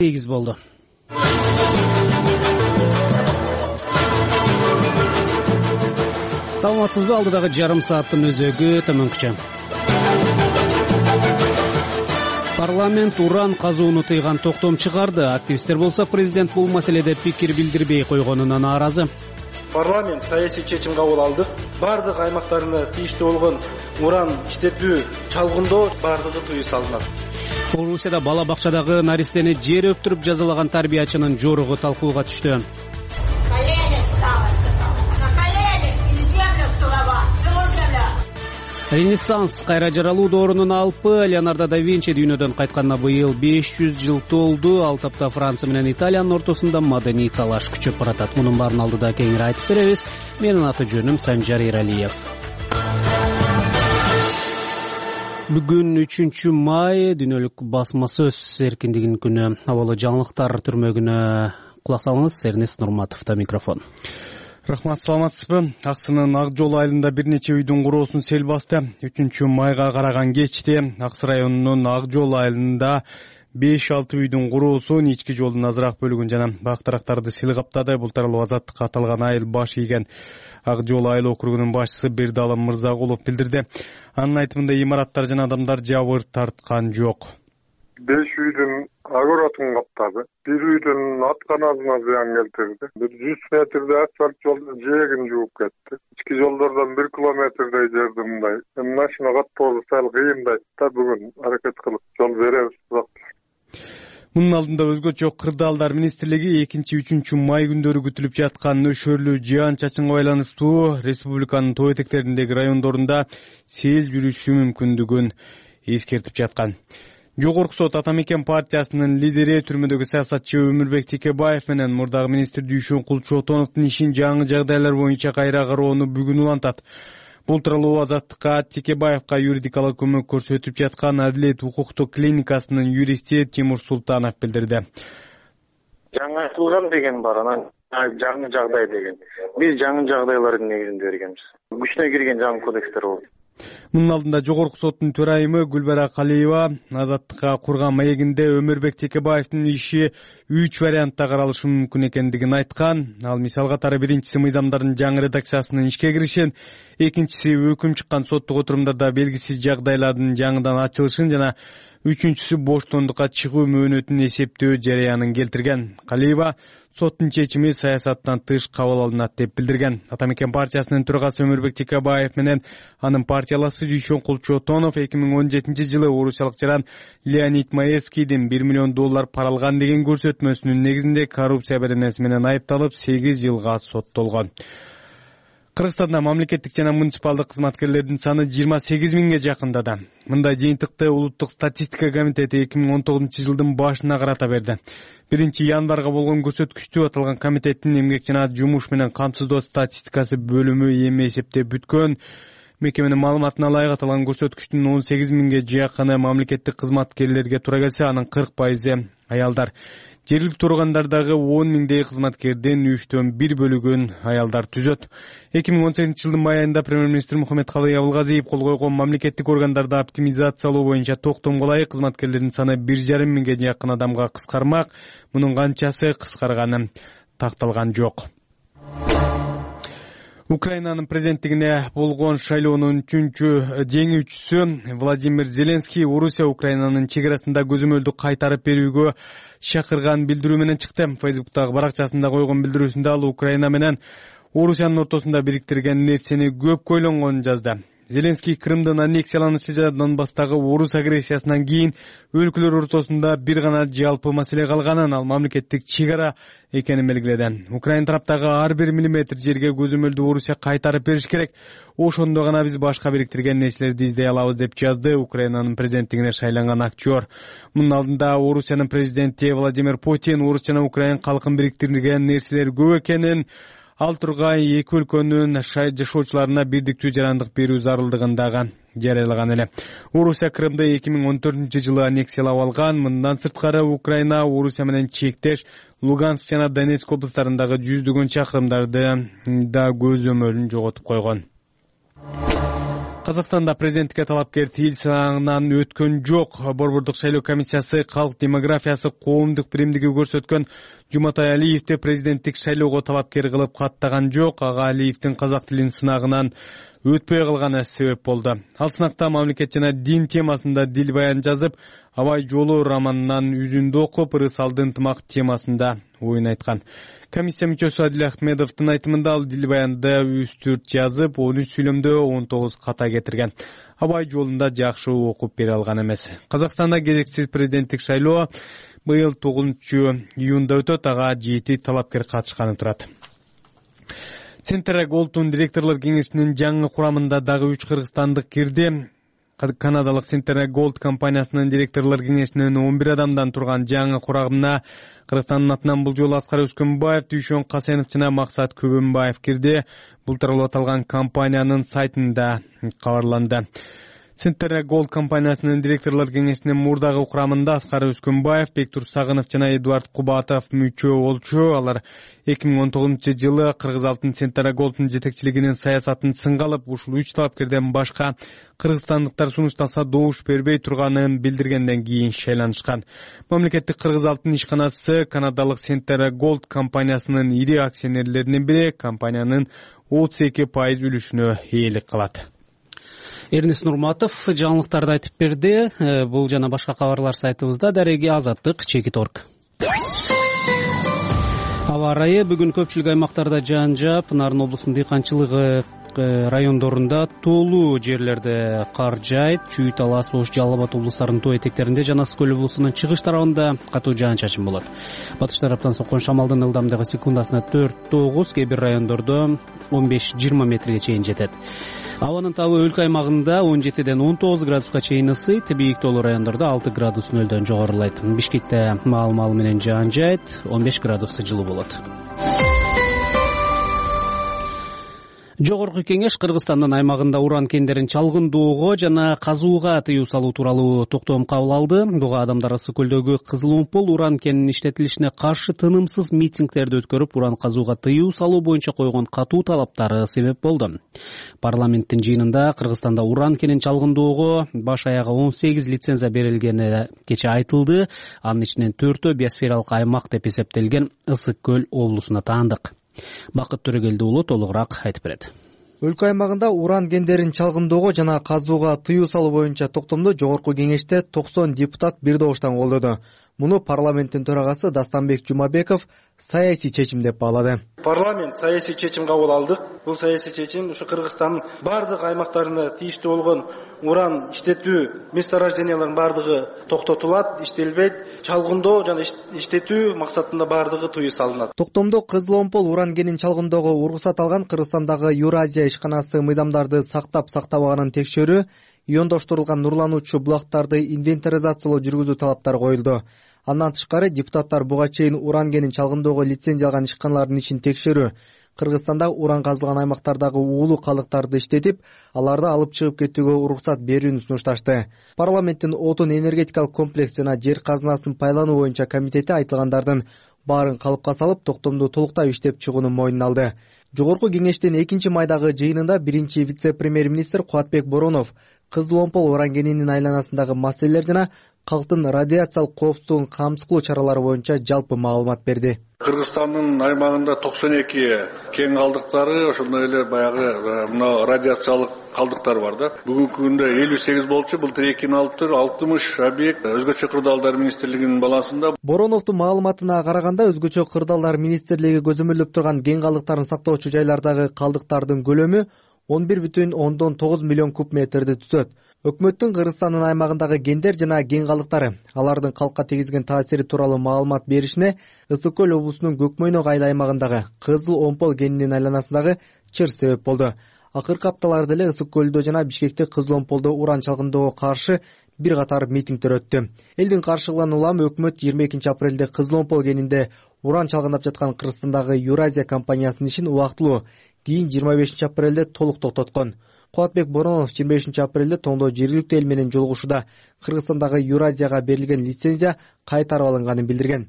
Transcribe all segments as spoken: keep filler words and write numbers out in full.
сегиз болду. Саламатсызбы? Алдыдагы жарым сааттын өзөгү төмөнкүчө. Парламент уран казууну тыйган токтом чыгарды. Активисттер болсо президент бул маселеде пикир билдирбей койгонуна нааразы. Парламент саясий чечим кабыл алды. Бардык аймактарында тийиштүү болгон уран иштетүү, чалгындоо бардыгы тыюу салынат. Орусияда бала бакчадагы наристени жер өптүрүп жазалаган тарбиячынын жоругу талкууга түштү. Ренессанс кайра жаралуу доорунун алпы Леонардо да Винчи дүйнөдөн кайтканына быйыл беш жүз жыл толду. Ал тапта Франция менен Италиянын ортосунда маданий талаш күчөп баратат. Мунун баарын алдыда кеңири айтып беребиз. Менин аты жөнүм Санжар Эралиев. Бүгүн үчүнчү май дүйнөлүк басма сөз эркиндигинин күнү. Абалы жаңылыктар түрмөгүнө кулак салыңыз. Эрнест Нурматовдо микрофон. Рахмат, саламатсызбы? Аксынын Ак жол айылында бир нече үйдүн куроосун сел басты. үчүнчү майга караган кечте Аксы районунун Ак жол айылында беш алты үйдүн куроосун, ички жолдун азыраак бөлүгүн жана бактырактарды сел каптады. Бул тууралуу Азаттыкка аталган айыл баш ийген Ак жол айыл округунун башчысы Бердалым Мырзагулов билдирди. Анын айтымында имараттар жана адамдар жабыр тарткан жок. беш үйдүн огородун каптады. Бир үйдүн атканасына зыян келтирди. Бир жүз метрде асфальт жолдун жээгин жууп кетти. Ички жолдордон бир километрдей жерди мындай машина каттоосу сал кыйындай да бүгүн аракет кылып жол беребиз. Мунун алдында өзгөчө кырдаалдар министрлиги экинчи үчүнчү май күндөрү күтүлүп жаткан нөшөрлүү жаан чачынга байланыштуу республиканын тоо этектериндеги райондорунда сел жүрүшү мүмкүндүгүн эскертип жаткан. Жогорку сот Атамекен партиясынын лидери түрмөдөгү саясатчы Өмүрбек Текебаев менен мурдагы министр Дүйшөн Кулчотоновдун ишин жаңы жагдайлар боюнча кайра кароону бүгүн улантат. Бул тууралуу Азаттыкка Текебаевка юридикалык көмөк көрсөтүп жаткан Адилет укуктук клиникасынын юристи Тимур Султанов билдирди. Жаңы айтылган деген бар, анан жаңы жагдай деген. Биз жаңы жагдайлардын негизинде бергенбиз. Күчүнө кирген жаңы кодекстер болду. Мунун алдында Жогорку соттун төрайымы Гүлбара Калиева Азаттыкка курган маегинде Өмүрбек Текебаевдин иши үч вариантта каралышы мүмкүн экендигин айткан. Ал мисал катары биринчиси мыйзамдардын жаңы редакциясынын ишке киришин, экинчиси өкүм чыккан соттук отурумдарда белгисиз жагдайлардын жаңыдан ачылышын жана үчүнчүсү боштондукка чыгуу мөөнөтүн эсептөө жараянын келтирген. Калиева соттун чечими саясаттан тыш кабыл алынат деп билдирген. Атамекен партиясынын төрагасы Өмүрбек Текебаев менен анын партиялашы Дүйшөн Кулчотонов эки миң он жетинчи жылы орусиялык жаран Леонид Маевскийдин бир миллион доллар пара алган деген көрсөтмөсүнүн негизинде коррупция беренеси менен айыпталып сегиз жылга соттолгон. Кыргызстанда мамлекеттик жана муниципалдык кызматкерлердин саны жыйырма сегиз миңге жакындады. Мындай жыйынтыкты Улуттук статистика комитети эки миң он тогузунчу жылдын башына карата берди. биринчи январга болгон көрсөткүчтү аталган комитеттин эмгек жана жумуш менен камсыздоо статистикасы бөлүмү эми эсептеп бүткөн. Мекеменин маалыматына ылайык аталган көрсөткүчтүн он сегиз миңге жакыны мамлекеттик кызматкерлерге туура келсе, анын кырк пайызы аялдар. Жергиликтүү органдардагы он миңдей кызматкердин үчтөн бир бөлүгүн аялдар түзөт. эки миң он сегизинчи жылдын май айында премьер-министр Мухаммедкалый Абылгазиев кол койгон мамлекеттик органдарды оптимизациялоо боюнча токтомго ылайык кызматкерлердин саны бир жарым миңге жакын адамга кыскармак. Мунун канчасы кыскарганы такталган жок. Украинанын президенттигине болгон шайлоонун үчүнчү жеңүүчүсү Владимир Зеленский Орусия Украинанын чек арасында көзөмөлдү кайтарып берүүгө чакырган билдирүү менен чыкты. Фейсбуктагы баракчасында койгон билдирүүсүндө ал Украина менен Орусиянын ортосунда бириктирген нерсени көп көйлөнгөнүн жазды. Зеленский Крымдын аннексияланышы жана Донбасстагы орус агрессиясынан кийин өлкөлөр ортосунда бир гана жалпы маселе калганын, ал мамлекеттик чек ара экенин белгиледи. Украина тараптагы ар бир миллиметр жерге көзөмөлдү Орусия кайтарып бериш керек. Ошондо гана биз башка бириктирген нерселерди издей алабыз деп жазды Украинанын президенттигине шайланган актер. Мунун алдында Орусиянын президенти Владимир Путин орус жана украин калкын бириктирген нерселер көп экенин, ал тургай эки өлкөнүн жашоочуларына бирдиктүү жарандык берүү зарылдыгын дагы жарыялаган эле. Орусия Крымды эки миң он төртүнчү жылы аннексиялап алган. Мындан сырткары Украина Орусия менен чектеш Луганск жана Донецк облустарындагы жүздөгөн чакырымдарды да көзөмөлүн жоготуп койгон. Казакстанда президенттикке талапкер тил сынагынан өткөн жок. Борбордук шайлоо комиссиясы калк демографиясы коомдук биримдиги көрсөткөн Жуматай Алиевди президенттик шайлоого талапкер кылып каттаган жок. Ага Алиевдин казак тилин сынагынан өтпөй калганы себеп болду. Ал сынакта мамлекет жана дин темасында дил баян жазып, Абай жолу романынан үзүндү окуп, ырысалды ынтымак темасында оюн айткан. Комиссия мүчөсү Адил Ахмедовдун айтымында ал дил баянды үч төрт жазып, он үч сүйлөмдө он тогуз ката кетирген. Абай жолунда жакшы окуп бере алган эмес. Казакстанда кезексиз президенттик шайлоо быйыл тогузунчу июнда өтөт. Ага жети талапкер катышканы турат. Центр Голдтун директорлор кеңешинин жаңы курамында дагы үч кыргызстандык кирди. Канадалык Центр Голд компаниясынын директорлор кеңешинин он бир адамдан турган жаңы курамына Кыргызстандын атынан бул жолу Аскар Өскөнбаев, Дүйшөн Касенов жана Максат Көбөнбаев кирди. Бул тууралуу аталган компаниянын сайтында кабарланды. Центр Голд компаниясынын директорлор кеңешинин мурдагы курамында Аскар Өскөнбаев, Бектур Сагынов жана Эдуард Кубатов мүчө болчу. Алар эки миң он тогузунчу жылы Кыргыз Алтын Центр Голдтун жетекчилигинин саясатын сынга алып, ушул үч талапкерден башка кыргызстандыктар сунуштаса добуш бербей турганын билдиргенден кийин шайланышкан. Мамлекеттик Кыргыз Алтын ишканасы канадалык Центр Голд компаниясынын ири акционерлеринин бири, компаниянын отуз эки пайыз үлүшүнө ээлик кылат. Эрнис Нурматов жаңылыктарды айтып берди. Бул жана башка кабарлар сайтыбызда. Дареги Азаттык, Чекит точка орг. Аба ырайы бүгүн көпчүлүк аймактарда жаан жаап, Нарын облусунун дыйканчылыгы райондорунда толуу жерлерде кар жаайт. Чүй, Талас, Ош, Жалал Абад облустарынын тоо этектеринде жана Ысык көл облусунун чыгыш тарабында катуу жаан-чачын болот. Батыш тараптан соккон шамалдын ылдамдыгы секундасына төрт тогуз, кээ бир райондордо он беш жыйырма метрге чейин жетет. Абанын табы өлкө аймагында он жетиден он тогуз градуска чейин ысыйт, бийик тоолуу райондордо алты градус нөлдөн жогорулайт. Бишкекте маал-маал менен жаан жаайт, он беш градус жылуу болот. Жогорку кеңеш Кыргызстандын аймагында уран кендерин чалгындоого жана казууга тыюу салуу тууралуу токтом кабыл алды. Буга адамдар Ысык көлдөгү Кызыл Омпол уран кенинин иштетилишине каршы тынымсыз митингдерди өткөрүп, уран казууга тыюу салуу боюнча койгон катуу талаптары себеп болду. Парламенттин жыйынында Кыргызстанда уран кенин чалгындоого баш аягы он сегиз лицензия берилгени кечээ айтылды. Анын ичинен төртөө биосфералык аймак деп эсептелген Ысык көл облусуна таандык. Бакыт Төрөгелди уулу толугураак айтып берет. Өлкө аймагында уран кендерин чалгындоого жана казууга тыюу салуу боюнча токтомду жогорку кеңеште токсон депутат бир добуштан колдоду. Муну парламенттин төрагасы Дастанбек Жумабеков саясий чечим деп баалады. Парламент саясий чечим кабыл алдык. Бул саясий чечим ушу Кыргызстандын бардык аймактарында тийиштүү болгон уран иштетүү месторожденияларынын бардыгы токтотулат, иштелбейт, чалгындоо жана иштетүү максатында бардыгы тыюу салынат. Токтомдо Кызыл Омпол уран кенин чалгындоого уруксат алган Кыргызстандагы Евразия ишканасы мыйзамдарды сактап сактабаганын текшерүү, иондоштурулган нурлануучу булактарды инвентаризациялоо жүргүзүү талаптары коюлду. Андан тышкары депутаттар буга чейин уран кенин чалгындоого лицензия алган ишканалардын ишин текшерүү, Кыргызстанда уран казылган аймактардагы уулуу калдыктарды иштетип, аларды алып чыгып кетүүгө уруксат берүүнү сунушташты. Парламенттин отун энергетикалык комплекс жана жер казынасын пайдалануу боюнча комитети айтылгандардын баарын калыпка салып, токтомду толуктап иштеп чыгуунун мойнуна алды. Жогорку кеңештин экинчи майдагы жыйынында биринчи вице-премьер-министр Кубатбек Боронов Кызыл Омпол уран кенинин айланасындагы маселелер жана калктын радиациялык коопсуздугун камсыз кылуу чаралары боюнча жалпы маалымат берди. Кыргызстандын аймагында токсон эки кен калдыктары, ошондой эле баягы мына радиациялык калдыктар бар да. Бүгүнкү күндө элүү сегиз болчу, былтыр экини алып тур, алтымыш объект өзгөчө кырдаалдар министрлигинин балансында. Бороновдун маалыматына караганда, өзгөчө кырдаалдар министрлиги көзөмөлдөп турган кен калдыктарын сактоочу жайлардагы калдыктардын көлөмү он бир бүтүн ондон тогуз миллион куб метрди түзөт. Өкмөттүн Кыргызстандын аймагындагы кендер жана кен калдыктары, алардын калкка тийгизген таасири тууралуу маалымат беришине Ысык көл облусунун Көкмөйнөк айыл аймагындагы Кызыл Омпол кенинин айланасындагы чыр себеп болду. Акыркы апталарда эле Ысык көлдө жана Бишкекте Кызыл Омполдо уран чалгындоого каршы бир катар митингдер өттү. Элдин каршылыгынан улам өкмөт жыйырма экинчи апрелде Кызыл Омпол кенинде уран чалгындап жаткан Кыргызстандагы Евразия компаниясынын ишин убактылуу, кийин жыйырма бешинчи апрелде толук токтоткон. Кубатбек Боронов жыйырма бешинчи апрелде тоңдо жергиликтүү эл менен жолугушууда Кыргызстандагы Евразияга берилген лицензия кайтарып алынганын билдирген.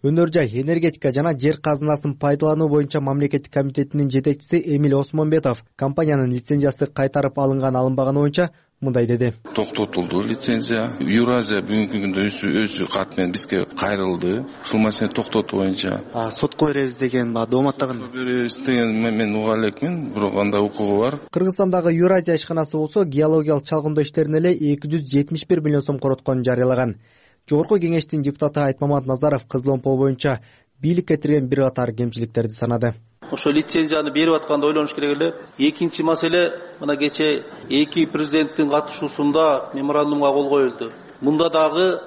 Өнөр жай, энергетика жана жер казынасын пайдалануу боюнча мамлекеттик комитетинин жетекчиси Эмиль Осмонбетов компаниянын лицензиясы кайтарып алынган алынбаганы боюнча мындай деди. Токтотулду лицензия. Юразия бүгүнкү күндө өз кат менен бизге кайрылды. Ушул маселени токтотуу боюнча. А сотко беребиз деген дооматтаган. Беребиз деген мен уга элекмин, бирок андай укугу бар. Кыргызстандагы Юразия ишканасы болсо геологиялык чалгындоо иштерине эле эки жүз жетимиш бир миллион сом коротконун жарыялаган. Жогорку кеңештин депутаты Айтмамат Назаров Кызыл Омпол боюнча бийликке тирген бир катар кемчиликтерди санады. Ошо лицензияны берип атканда ойлонуш керек эле. Экинчи маселе, мына кече эки президенттин катышуусунда меморандумга кол коюлду. Мында дагы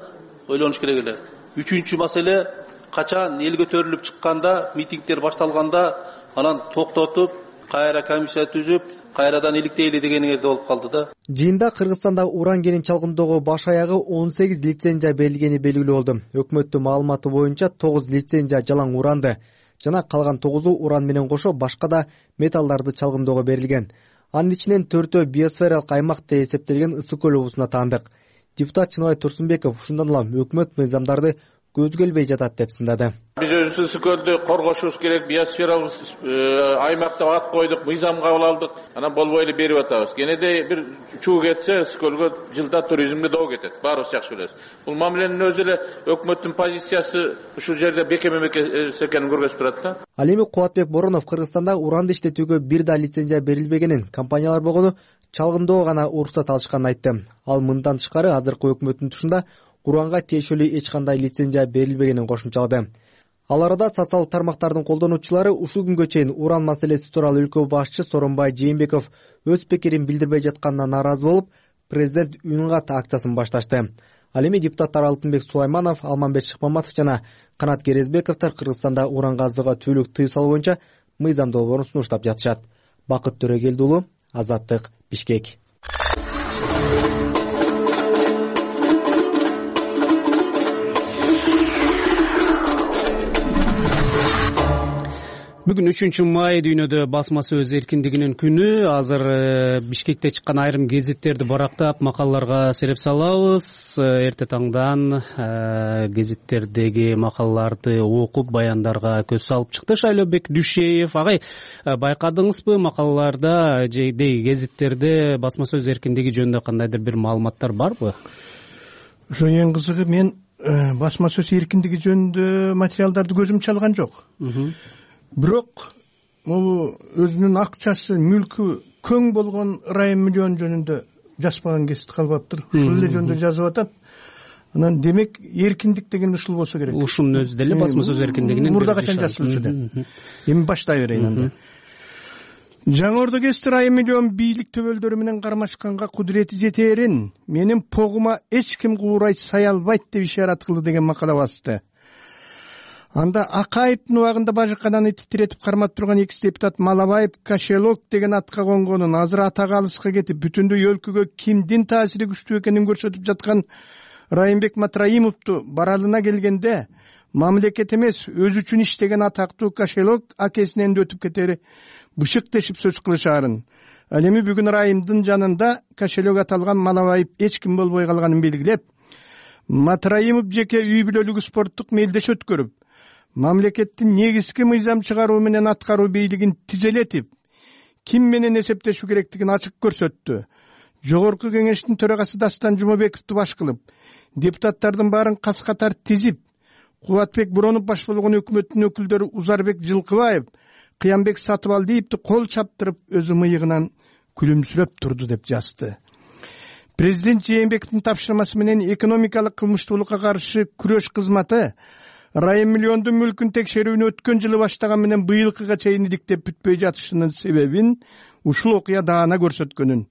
ойлонуш керек эле. Үчүнчү маселе, качан эл көтөрүлүп чыкканда, митингдер башталганда анан токтотуп, кайра комиссия түзүп, кайрадан иликтейли дегениңерде болуп калды да. Жыйында Кыргызстанда уран кенин чалгындоого баш аягы он сегиз лицензия берилгени белгилүү болду. Өкмөттүн маалыматы боюнча тогуз лицензия жалаң уранды жана калган тогузу уран менен кошо башка да металлдарды чалгындоого берилген. Анын ичинен төртөө биосфералык аймак деп эсептелген Ысык көл облусуна таандык. Депутат Чыныбай Турсунбеков ушундан улам өкмөт мыйзамдарды көзгө илбей жатат деп сындады. Биз өзүбүз Ысык көлдү коргошубуз керек, биосфералык аймак деп ат койдук, мыйзам кабыл алдык. Анан болбой эле берип атабыз. Кенеде бир чуу кетсе, Ысык көлгө жылда туризмге доо кетет. Баарыбыз жакшы билебиз. Бул мамиленин өзү эле өкмөттүн позициясы ушул жерде бекем эмес экенин көрсөтүп турат да. Ал эми Кубатбек Боронов Кыргызстанда уранды иштетүүгө бир да лицензия берилбегенин, компаниялар болгону чалгындоо гана уруксат алышканын айтты. Ал мындан тышкары азыркы өкмөттүн тушунда уранга тиешелүү эч кандай лицензия берилбегенин кошумчалады. Ал арада социалдык тармактардын колдонуучулары ушул күнгө чейин уран маселеси тууралуу өлкө башчы Сооронбай Жээнбеков өз пикирин билдирбей жатканына нааразы болуп, президент үн кат акциясын башташты. Ал эми депутаттар Алтынбек Сулайманов, Алманбек Шыкмаматов жана Канат Керезбековдор Кыргызстанда уран казууга түйлүк тыюу салуу боюнча мыйзам долбоорун сунуштап жатышат. Бакыт Төрөгелди уулу, Азаттык, Бишкек. Бүгүн үчүнчү май дүйнөдө басма сөз эркиндигинин күнү. Азыр Бишкекте чыккан айрым гезиттерди барактап, макалаларга сереп салабыз. Эрте таңдан гезиттердеги макалаларды окуп, баяндарга көз салып чыкты Шайлообек Дүйшеев. Агай, байкадыңызбы, макалаларда же гезиттерде басма сөз эркиндиги жөнүндө кандайдыр бир маалыматтар барбы? Ошо эң кызыгы, мен басма сөз эркиндиги жөнүндө материалдарды көзүм чалган жок. Бирок могу өзүнүн акчасы, мүлкү көң болгон Райым Миллион жөнүндө жазбаган гезит калбаптыр. Ушул эле жөнүндө жазып атат. Анан демек эркиндик деген ушул болсо керек. Ушунун өзү деле басма сөз эркиндигинин мурда качан жазылчу да. Эми баштай берейин анда. Жаңы Ордо гезити Райым Миллион бийлик төбөлдөрү менен кармашканга кудурети жетээрин менин погума эч ким куурай сай албайт деп ишарат кылды деген макала басты. Анда Акаевдин убагында бажыкананы титиретип кармап турган экс депутат Малабаев Кошелок деген атка конгонун, азыр атага алыска кетип, бүтүндөй өлкөгө кимдин таасири күчтүү экенин көрсөтүп жаткан Райымбек Матраимовду баралына келгенде, мамлекет эмес, өзү үчүн иштеген атактуу Кошелок акесинен да өтүп кетери бышык дешип сөз кылышаарын. Ал эми бүгүн Райымдын жанында Кошелок аталган Малабаев эч ким болбой калганын белгилеп, Матраимов жеке үй бүлөлүк спорттук мелдеш өткөрүп, мамлекеттин негизги мыйзам чыгаруу менен аткаруу бийлигин тизелетип, ким менен эсептешүү керектигин ачык көрсөттү. Жогорку кеңештин төрагасы Дастан Жумабековду баш кылып, депутаттардын баарын кас катар тизип, Кубатбек Боронов баш болгон өкмөттүн өкүлдөрү Узарбек Жылкыбаев, Кыямбек Сатыбалдиевди кол чаптырып, өзү мыйыгынан күлүмсүрөп турду деп жазды. Президент Жээнбековдун тапшырмасы менен экономикалык кылмыштуулукка каршы күрөш кызматы Райым Миллиондун мүлкүн текшерүүнү өткөн жылы баштаган менен быйылкыга чейин иликтеп бүтпөй жатышынын себебин ушул окуя даана көрсөткөнүн.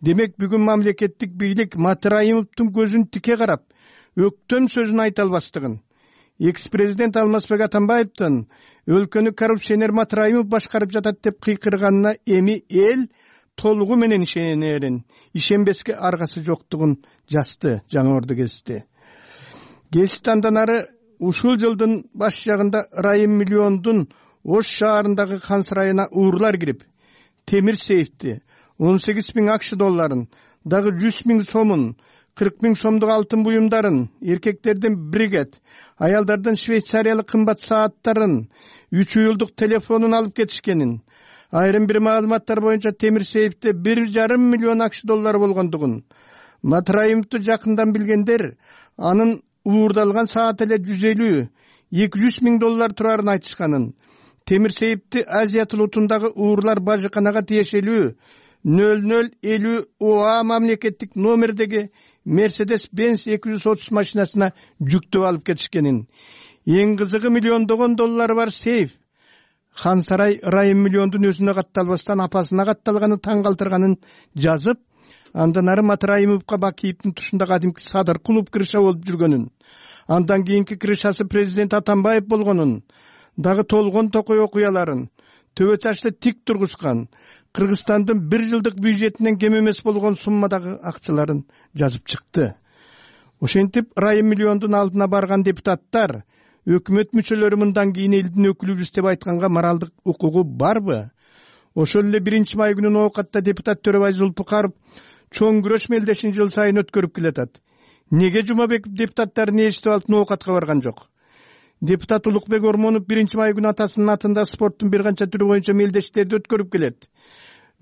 Демек бүгүн мамлекеттик бийлик Матраимовдун көзүн тике карап, өктөм сөзүн айта албастыгын, экс-президент Алмазбек Атамбаевдин өлкөнү коррупционер Матраимов башкарып жатат деп кыйкырганына эми эл толугу менен ишенерин, ишенбеске аргасы жоктугун жазды Жаңы Ордо гезити. Гезит андан ары ушул жылдын баш жагында Райым Миллиондун Ош шаарындагы хан сарайына уурлар кирип, темир сейфти, он сегиз миң акш долларын, дагы жүз миң сомун, кырк миң сомдук алтын буюмдарын, эркектерден бригет, аялдардан швейцариялык кымбат сааттарын, үч уюлдук телефонун алып кетишкенин, айрым бир маалыматтар боюнча Темирсеевде бир жарым миллион акш доллары болгондугун, Матраимовду жакындан билгендер анын уурдалган саат эле жүз элүү эки жүз миң доллар турарын айтышканын, Темирсеевди Азия тылутундагы уурлар бажыканага тиешелүү нөл нөл элүү ОА мамлекеттик номердеги Мерседес Бенз эки жүз отуз машинасына жүктөп алып кетишкенин, эң кызыгы миллиондогон доллары бар сейф Хан Сарай Райым миллиондун өзүнө катталбастан апасына катталганы таң калтырганын жазып, андан ары Матраимовго Бакиевдин тушунда кадимки Садыр клуб крыша болуп жүргөнүн, андан кийинки крышасы президент Атамбаев болгонун, дагы толгон токой окуяларын, төбө чачты тик тургузган, Кыргызстандын бир жылдык бюджетинен кем эмес болгон суммадагы акчаларын жазып чыкты. Ошентип Райым миллиондун алдына барган депутаттар, өкмөт мүчөлөрү мындан кийин элдин өкүлүбүз деп айтканга моралдык укугу барбы? Ошол эле биринчи май күнү оокатта депутат Төрөбай Зулпукаров чоң күрөш мелдешин жыл сайын өткөрүп келатат. Неге Жумабеков депутаттарын эшитип алып оокатка барган жок? Депутат Улукбек Ормонов биринчи май күнү атасынын атында спорттун бир канча түрү боюнча мелдештерди өткөрүп келет.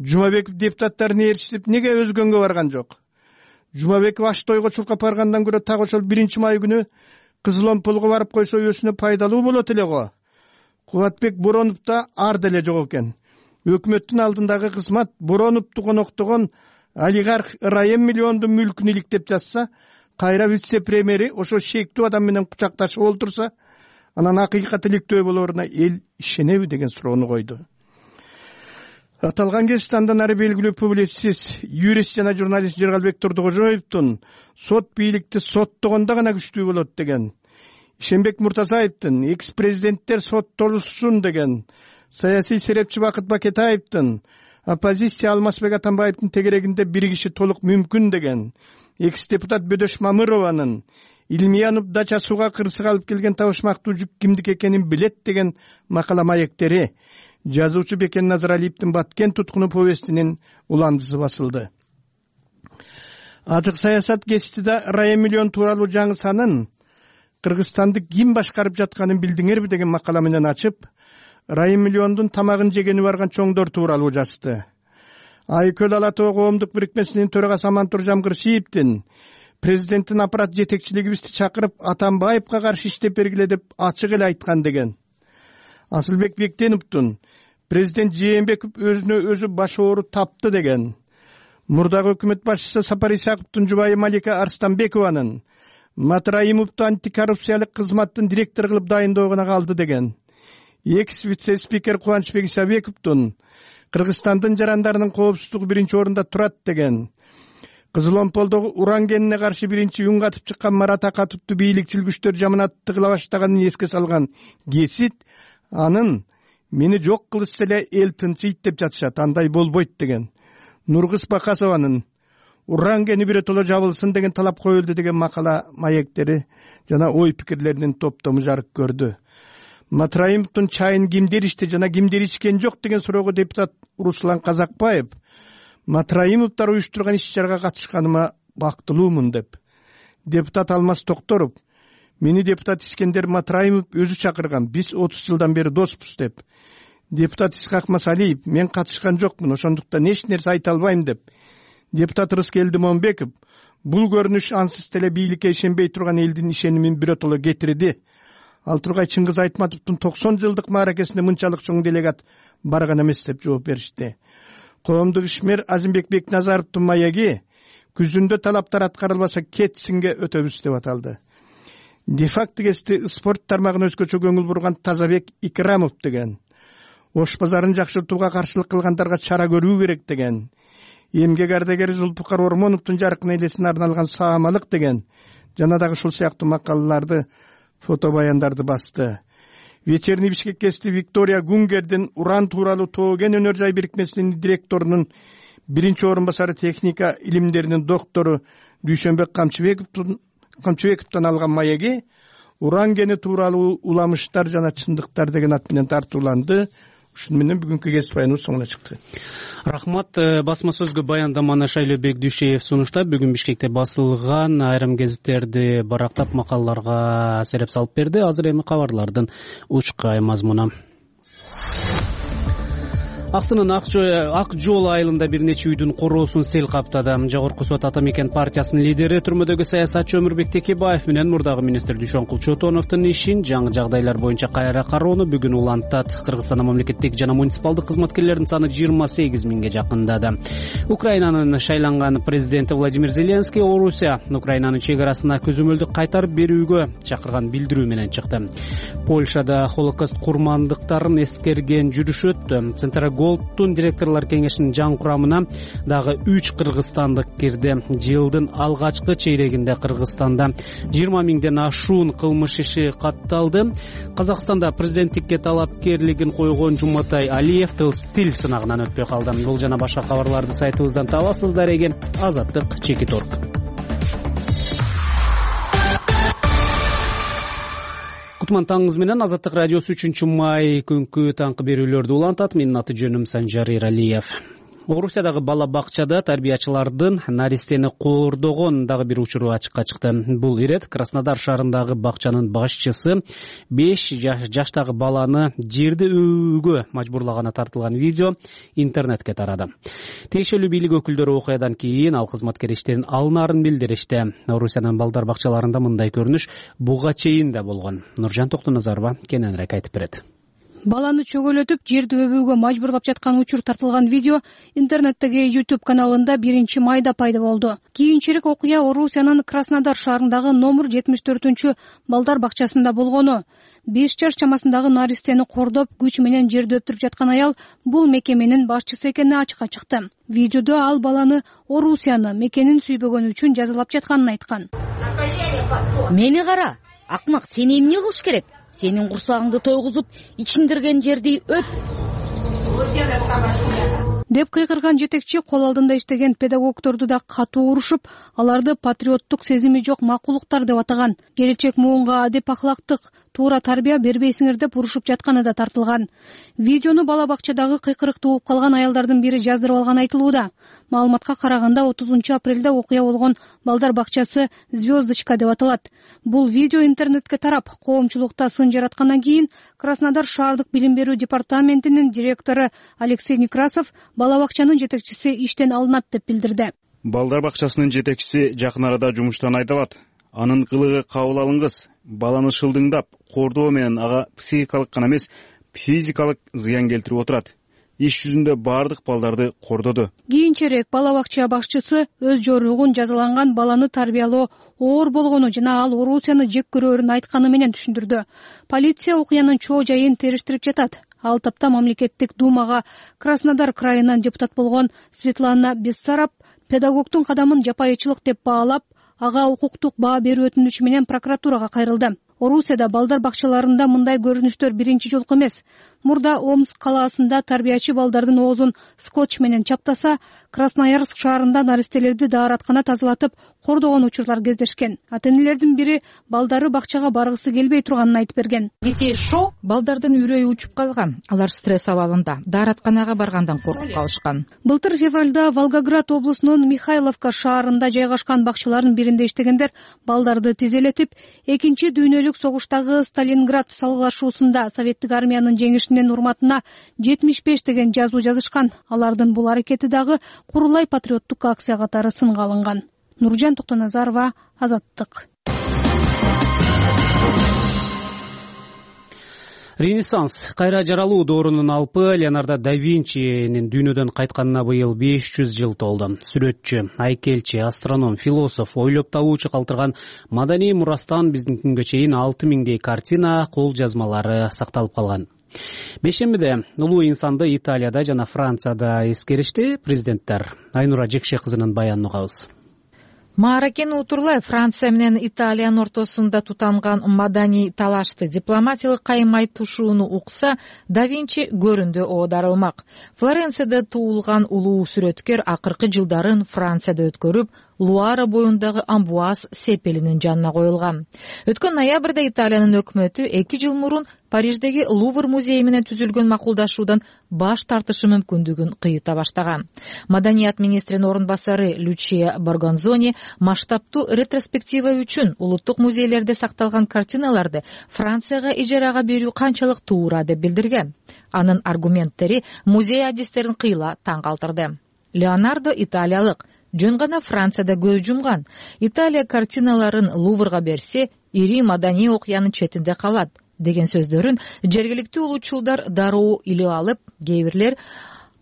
Жумабеков депутаттарын ээрчитип неге өзгөнгө барган жок? Жумабеков аш тойго чуркап баргандан көрө так ошол биринчи май күнү Кызыл Омполго барып койсо өзүнө пайдалуу болот эле го. Кубатбек Боронов да ар деле жок экен. Өкмөттүн алдындагы кызмат Бороновду коноктогон олигарх Райым миллиондун мүлкүн иликтеп жатса, кайра вице-премьери ошо шектүү адам менен кучакташып олтурса, анан акыйкат иликтөө болоруна эл ишенеби деген суроону койду. Аталган кесипте андан ары белгилүү публицист, юрист жана журналист Жыргалбек Турдукожоевдун сот бийликти соттогондо гана күчтүү болот деген, Ишенбек Муртазаевдин экс-президенттер соттолушсун деген, саясий серепчи Бакыт Бакетаевдин оппозиция Алмазбек Атамбаевдин тегерегинде бир киши толук мүмкүн деген, экс-депутат Бөдөш Мамырованын Илмиянов дача сууга кырсык алып келген табышмактуу жүк кимдики экенин билет деген макала маектери жазуучу Бекен Назаралиевдин Баткен туткуну повестинин уландысы басылды. Ажык саясат гезитиде Райым миллион тууралуу жаңы санын Кыргызстанды ким башкарып жатканын билдиңерби деген макала менен ачып, Райым миллиондун тамагын жегени барган чоңдор тууралуу жазды. Айкөл Ала Тоо коомдук бирикмесинин төрагасы Амантур Жамгыршиевдин президенттин аппарат жетекчилигибизди чакырып Атамбаевга каршы иштеп бергиле деп ачык эле айткан деген. Асылбек Бектеновдун президент Жээнбеков өзүнө өзү баш оору тапты деген. Мурдагы өкмөт башчысы Сапар Исаковдун жубайы Малика Арстанбекованын Матраимовду антикоррупциялык кызматтын директор кылып дайындоогуна калды деген. Экс вице-спикер Кубанычбек Исабековдун Кыргызстандын жарандарынын коопсуздугу биринчи орунда турат деген. Кызыл Омполдогу уран кенине каршы биринчи үн катып чыккан Марат Акатовду бийликчил күчтөр жаманатты кыла баштаганын эске салган гесит анын мени жок кылышса эле эл тынчыйт деп жатышат, андай болбойт деген. Нургыз Бакасованын уран кени биротоло жабылсын деген талап коюлду деген макала маектери жана ой пикирлеринин топтому жарык көрдү. Матраимовдун чайын кимдер ичти жана кимдер ичкен жок деген суроого депутат Руслан Казакбаев Матраимовдор уюштурган иш-чарага катышканыма бактылуумун деп. Депутат Алмаз Токторов мени депутат Искендер Матраимов өзү чакырган, биз отуз жылдан бери доспуз деп. Депутат Исхак Масалиев мен катышкан жокмун, ошондуктан эч нерсе айта албайм деп. Депутат Рыскелди Момбеков бул көрүнүш ансыз деле бийликке ишенбей турган элдин ишенимин биротоло кетирди. Ал тургай Чыңгыз Айтматовдун токсон жылдык мааракесине мынчалык чоң делегат барган эмес деп жооп беришти. Коомдук ишмер Азимбек Бекназаровдун маеги күзүндө талаптар аткарылбаса кетсинге өтөбүз деп аталды. Де-факто кести спорт тармагына өзгөчө көңүл бурган Тазабек Икрамов деген. Ош базарын жакшыртууга каршылык кылгандарга чара көрүү керек деген. Эмгек ардагери Зулпукар Ормоновдун жаркын элесине арналган саамалык деген жана дагы ушул сыяктуу макалаларды, фото баяндарды басты. Вечерний Бишкек кести Виктория Гунгердин уран тууралуу Тоо кен өнөр жай бирикмесинин директорунун биринчи орун басары техника илимдеринин доктору Дүйшөнбек Камчыбековдун Камчыбековдон алган маеги уран кени тууралуу уламыштар жана чындыктар деген ат менен тартууланды. ушун менен бүгүнкү кесип аяныбыз соңуна чыкты. Рахмат. Басма сөзгө баяндаманы Шайлообек Дүйшеев сунуштап, бүгүн Бишкекте басылган айрым гезиттерди барактап макалаларга сереп салып берди. Азыр эми кабарлардын учкай мазмуну. Аксынын Ак жол айылында бир нече үйдүн короосун сел каптады. Жогорку сот Ата Мекен партиясынын лидери, түрмөдөгү саясатчы Өмүрбек Текебаев менен мурдагы министр Дүйшөнкул Чотоновдун ишин жаңы жагдайлар боюнча кайра кароону бүгүн улантат. Кыргызстанда мамлекеттик жана муниципалдык кызматкерлердин саны жыйырма сегиз миңге жакындады. Украинанын шайланган президенти Владимир Зеленский Орусия Украинанын чек арасына көзөмөлдү кайтарып берүүгө чакырган билдирүү менен чыкты. Польшада Холокост курмандыктарын эскерген жүрүш өттү. Голдтун директорлор кеңешинин жаңы курамына дагы үч кыргызстандык кирди. Жылдын алгачкы чейрегинде Кыргызстанда жыйырма миңден ашуун кылмыш иши катталды. Казакстанда президенттикке талапкерлигин койгон Жуматай Алиев тил сынагынан өтпөй калды. Бул жана башка кабарларды сайтыбыздан табасыздар эген. Азаттык Чекит орг. Кутман таңыңыз менен Азаттык радиосу үчүнчү май күнкү таңкы берүүлөрдү улантат. Менин аты жөнүм Санжар Иралиев. Орусиядагы бала бакчада тарбиячылардын наристени коордогон дагы бир учуру ачыкка чыкты. Бул ирет Краснодар шаарындагы бакчанын башчысы беш жаштагы баланы жерди өбүүгө мажбурлаганы тартылган видео интернетке тарады. Тиешелүү бийлик өкүлдөрү окуядан кийин ал кызматкер иштен алынаарын билдиришти. Орусиянын балдар бакчаларында мындай көрүнүш буга чейин да болгон. Нуржан Токтоназарова кененирээк айтып берет. Баланы чөгөлөтүп, жерди өбүүгө мажбурлап жаткан учур тартылган видео интернеттеги YouTube каналында биринчи майда пайда болду. Кийинчерээк окуя Орусиянын Краснодар шаарындагы номер жетимиш төртүнчү балдар бакчасында болгону. беш жаш чамасындагы наристени кордоп, күч менен жерди өптүрүп жаткан аял бул мекеменин башчысы экени ачыкка чыкты. Видеодо ал баланы Орусияны мекенин сүйбөгөнү үчүн жазалап жатканын айткан. Мени кара, акмак, сени эмне кылыш керек? Сенин курсагыңды тойгузуп, ичиндирген жерди өп. Деп кыйкырган жетекчи кол алдында иштеген педагогдорду да катуу урушуп, аларды патриоттук сезими жок макулуктар деп атаган. Келечек муунга адеп ахлактык туура тарбия бербейсиңер деп урушуп жатканы да тартылган. Видеону бала бакчадагы кыйкырыкты угуп калган аялдардын бири жаздырып алган айтылууда. Маалыматка караганда отузунчу апрелде окуя болгон балдар бакчасы Звездочка деп аталат. Бул видео интернетке тарап, коомчулукта сын жараткандан кийин Краснодар шаардык билим берүү департаментинин директору Алексей Некрасов бала бакчанын жетекчиси иштен алынат деп билдирди. Балдар бакчасынын жетекчиси жакын арада жумуштан айдалат. Анын кылыгы кабыл алынгыс. Баланы шылдыңдап, кордоо менен ага психикалык гана эмес, физикалык зыян келтирип отурат. Иш жүзүндө бардык балдарды кордоду. Кийинчерээк бала бакча башчысы өз жоругун жазаланган баланы тарбиялоо оор болгону жана ал Орусияны жек көрөрүн айтканы менен түшүндүрдү. Полиция окуянын чоо жайын териштирип жатат. Ал тапта мамлекеттик думага Краснодар крайынан депутат болгон Светлана Бессараб педагогдун кадамын жапайычылык деп баалап, ага укуктук баа берүү өтүнүчү менен прокуратурага кайрылды. Орусияда балдар бакчаларында мындай көрүнүштөр биринчи жолку эмес. Мурда Омск калаасында тарбиячы балдардын оозун скотч менен чаптаса, Красноярск шаарында наристелерди даараткана тазалатып кордогон учурлар кездешкен. Ата-энелердин бири балдары бакчага баргысы келбей турганын айтып берген. Детей шок, балдардын үрөйү учуп калган. Алар стресс абалында, дааратканага баргандан коркуп калышкан. Былтыр февралда Волгоград облусунун Михайловка шаарында жайгашкан бакчалардын биринде иштегендер балдарды тизелетип, экинчи дүйнөлүк согуштагы Сталинград салгылашуусунда советтик армиянын жеңишинин урматына жетимиш беш деген жазуу жазышкан. Алардын бул аракети дагы курулай патриоттук акция катары сынга алынган. Нуржан Токтоназарова, Азаттык. Ренессанс кайра жаралуу доорунун алпы Леонардо да Винчинин дүйнөдөн кайтканына быйыл беш жүз жыл толду. Сүрөтчү, айкелчи, астроном, философ, ойлоп табуучу калтырган маданий мурастан биздин күнгө чейин алты миңдей картина, кол жазмалары сакталып калган. Бешембиде улуу инсанды Италияда жана Францияда эскеришти президенттер. Айнура Жекше кызынын баянын угабыз. Мааракен Утурлай Франция менен Италиянын ортосунда тутанган маданий талашты дипломатиялык каймай тушууну укса, да Винчи көрүндө оодарылмак. Флоренцияда туулган улуу сүрөткөр акыркы жылдарын Францияда өткөрүп, Луара боюндагы Амбуаз сепелинин жанына коюлган. Өткөн ноябрда Италиянын өкмөтү эки жыл мурун Париждеги Лувр музейи менен түзүлгөн макулдашуудан баш тартышы мүмкүндүгүн кыйыта баштаган. Маданият министринин орун басары Лючия Боргонзони масштабтуу ретроспектива үчүн улуттук музейлерде сакталган картиналарды Францияга ижарага берүү канчалык туура деп билдирген. Анын аргументтери музей адистерин кыйла таң калтырды. Леонардо италиялык, жөн гана Францияда көз жумган. Италия картиналарын Луврга берсе, ири маданий окуянын четинде калат деген сөздөрүн жергиликтүү улутчулдар дароо илип алып, кээ бирлер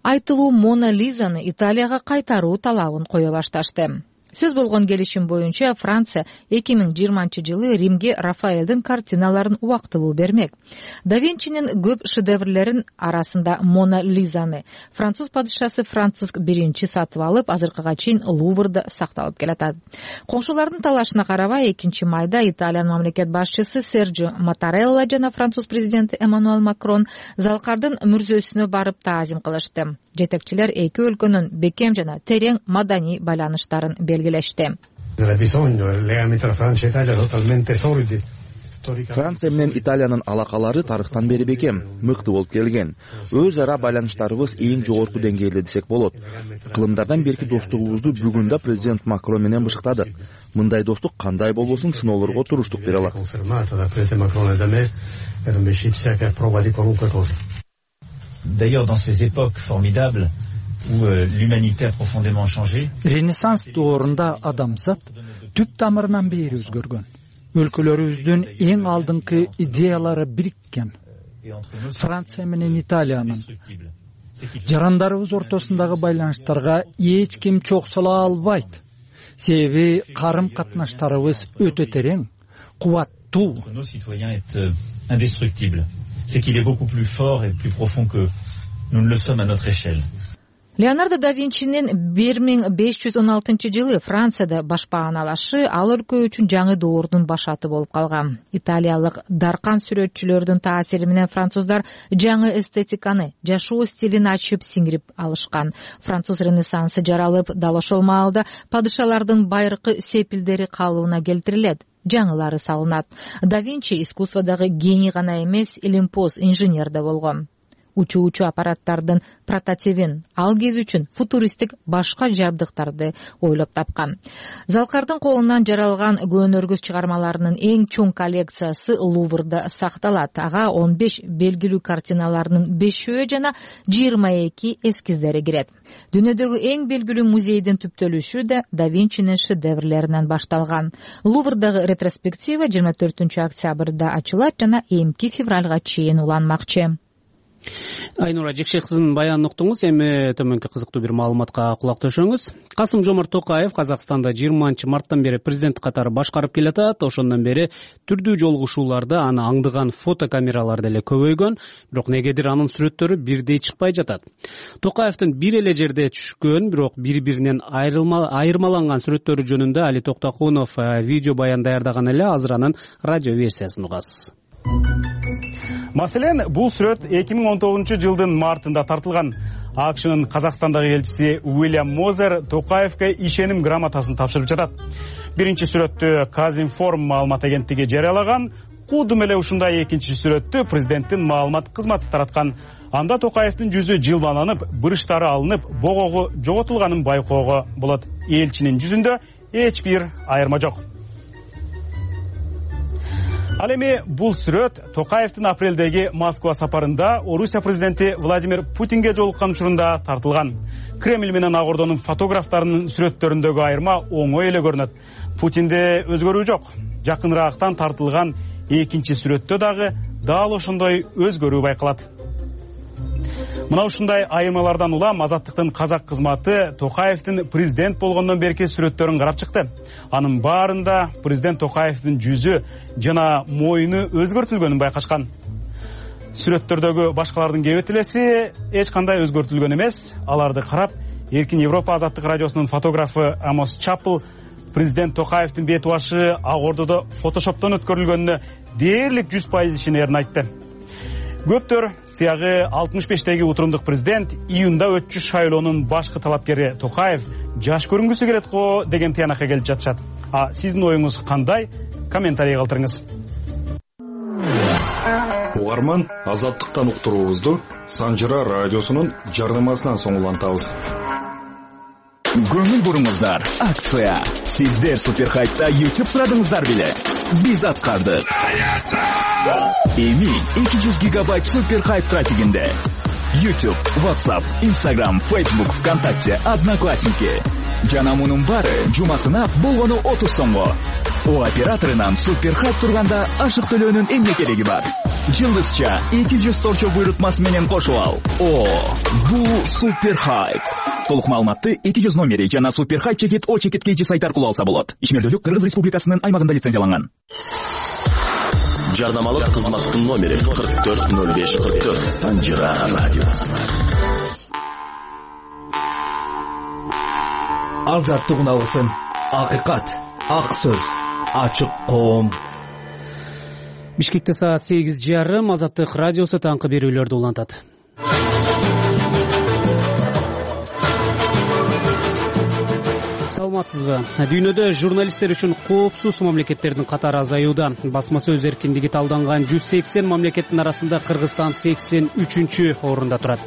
айтылуу Мона Лизаны Италияга кайтаруу талабын кое башташты. Сөз болгон келишим боюнча Франция эки миң жыйырманчы жылы Римге Рафаэлдин картиналарын убактылуу бермек. Да Винчинин көп шедеврлерин арасында Мона Лизаны француз падышасы Франциск биринчи сатып алып, азыркыга чейин Луврда сакталып келатат. Коңшулардын талашына карабай, экинчи майда Италиянын мамлекет башчысы Серджио Маттарелла жана француз президенти Эммануэль Макрон Залкардын мүрзөсүнө барып таазим кылышты. Жетекчилер эки өлкөнүн бекем жана терең маданий байланыштарын белгилешти. Франция менен Италиянын алакалары тарыхтан бери бекем, мыкты болуп келген. Өз ара байланыштарыбыз эң жогорку деңгээлде десек болот. Кылымдардан берки достугубузду бүгүн да президент Макрон менен бышыктадык. Мындай достук кандай болбосун сыноолорго туруштук бере алат. D'ailleurs, dans ces époques formidables où euh, l'humanité a profondément changé, Ренессанс доорунда адамзат түп тамырынан бери өзгөргөн. Өлкөлөрүбүздүн эң алдыңкы идеялары бириккен. Франция менен Италиянын жарандарыбыз ортосундагы байланыштарга эч ким чоксола албайт. Себеби карым катнаштарыбыз өтө терең, кубаттуу. nos citoyens est euh, indestructible. C'est qu'il est beaucoup plus fort et plus profond que nous ne le sommes à notre échelle. Леонардо да Винчинин бир миң беш жүз он алтынчы жылы Францияда башпааналашы ал өлкө үчүн жаңы доордун башаты болуп калган. Италиялык даркан сүрөтчүлөрдүн таасири менен француздар жаңы эстетиканы, жашоо стилин ачып сиңирип алышкан. Француз ренессансы жаралып, дал ошол маалда падышалардын байыркы сепилдери калыбына келтирилет. Жаңылары салынат. Да Винчи искусстводагы гений гана эмес, илимпоз инженер да болгон. Учуучу аппараттардын прототипин, ал кез үчүн футуристик башка жабдыктарды ойлоп тапкан. Залкардын колунан жаралган көөнөргүз чыгармаларынын эң чоң коллекциясы Луврда сакталат. Ага он беш белгилүү картиналарынын бешөө жана жыйырма эки эскиздери кирет. Дүйнөдөгү эң белгилүү музейдин түптөлүшү да Да Винчинин шедеврлеринен башталган. Луврдагы ретроспектива жыйырма төртүнчү октябрда ачылат жана эмки февралга чейин уланмакчы. Айнура Жекшек кызынын баянын уктуңуз. Эми төмөнкү кызыктуу бир маалыматка кулак төшөңүз. Касым-Жомарт Токаев Казакстанда жыйырманчы марттан бери президент катары башкарып келатат. Ошондон бери түрдүү жолугушууларда аны аңдыган фотокамералар деле көбөйгөн, бирок негедир анын сүрөттөрү бирдей чыкпай жатат. Токаевдин бир эле жерде түшкөн, бирок бири-биринен айырмаланган сүрөттөрү жөнүндө Али Токтокунов видео баян даярдаган эле. Азыр анын радио версиясын угасыз. Маселен, бул сүрөт эки миң он тогузунчу жылдын мартында тартылган. АКШнын Казакстандагы элчиси Уильям Мозер Токаевке ишеним грамотасын тапшырып жатат. Биринчи сүрөттү Казинформ маалымат агенттиги жарыялаган. Кудум эле ушундай экинчи сүрөттү президенттин маалымат кызматы тараткан. Анда Токаевдин жүзү жылбаланып, бырыштары алынып, богогу жоготулганын байкоого болот. Элчинин жүзүндө эч бир айырма жок. Ал эми бул сүрөт Токаевдин апрелдеги Москва сапарында Орусия президенти Владимир Путинге жолуккан учурунда тартылган. Кремль менен Ак Ордонун фотографтарынын сүрөттөрүндөгү айырма оңой эле көрүнөт. Путинде өзгөрүү жок. Жакыныраактан тартылган экинчи сүрөттө дагы дал ошондой өзгөрүү байкалат. Мына ушундай айырмалардан улам Азаттыктын казак кызматы Токаевдин президент болгондон берки сүрөттөрүн карап чыкты. Анын баарында президент Токаевдин жүзү жана моюну өзгөртүлгөнүн байкашкан. Сүрөттөрдөгү башкалардын кебетелеси эч кандай өзгөртүлгөн эмес. Аларды карап, Эркин Европа Азаттык радиосунун фотографы Амос Чапл президент Токаевдин бет башы Ак Ордодо фотошоптон өткөрүлгөнүнө дээрлик жүз пайыз ишенерин айтты. Көптөр сыягы алтымыш бештеги утурундук президент июнда өтчү шайлоонун башкы талапкери Токаев жаш көрүнгүсү келет го деген тыянакка келип жатышат. А сиздин оюңуз кандай? Комментарий калтырыңыз. Угарман, Азаттыктан уктуруубузду Санжыра радиосунун жарнамасынан соң улантабыз. Көңүл буруңуздар, акция. Сиздер Суперхайпта YouTube сурадыңыздар беле? Биз аткардык. Эми эки жүз гигабайт Суперхайп трафигинде. YouTube, WhatsApp, Instagram, Facebook, ВКонтакте, Одноклассники. Жана мунун баары жумасына болгону отуз сомго. О операторунан Суперхайп турганда ашык төлөөнүн эмне кереги бар? Жылдызча эки жүз торчо буйрутмасы менен кошуп ал. О, бул Суперхайп. Толук маалыматты эки жүз номери жана Суперхайп чекит о чекит kg сайт аркылуу алса болот. Ишмердүүлүк Кыргыз Республикасынын аймагында лицензияланган. Жарнамалык кызматтын номери кырк төрт ноль беш кырк төрт. Санжыра радиосы. Азаттык уналысын. Акыйкат, ак сөз, ачык коом. Бишкекте саат сегиз жарым. Азаттык радиосу таңкы берүүлөрдү улантат. Саламатсызбы? Дүйнөдө журналисттер үчүн коопсуз мамлекеттердин катары азаюуда. Басма сөз эркиндиги талданган жүз сексен мамлекеттин арасында Кыргызстан сексен үчүнчү орунда турат.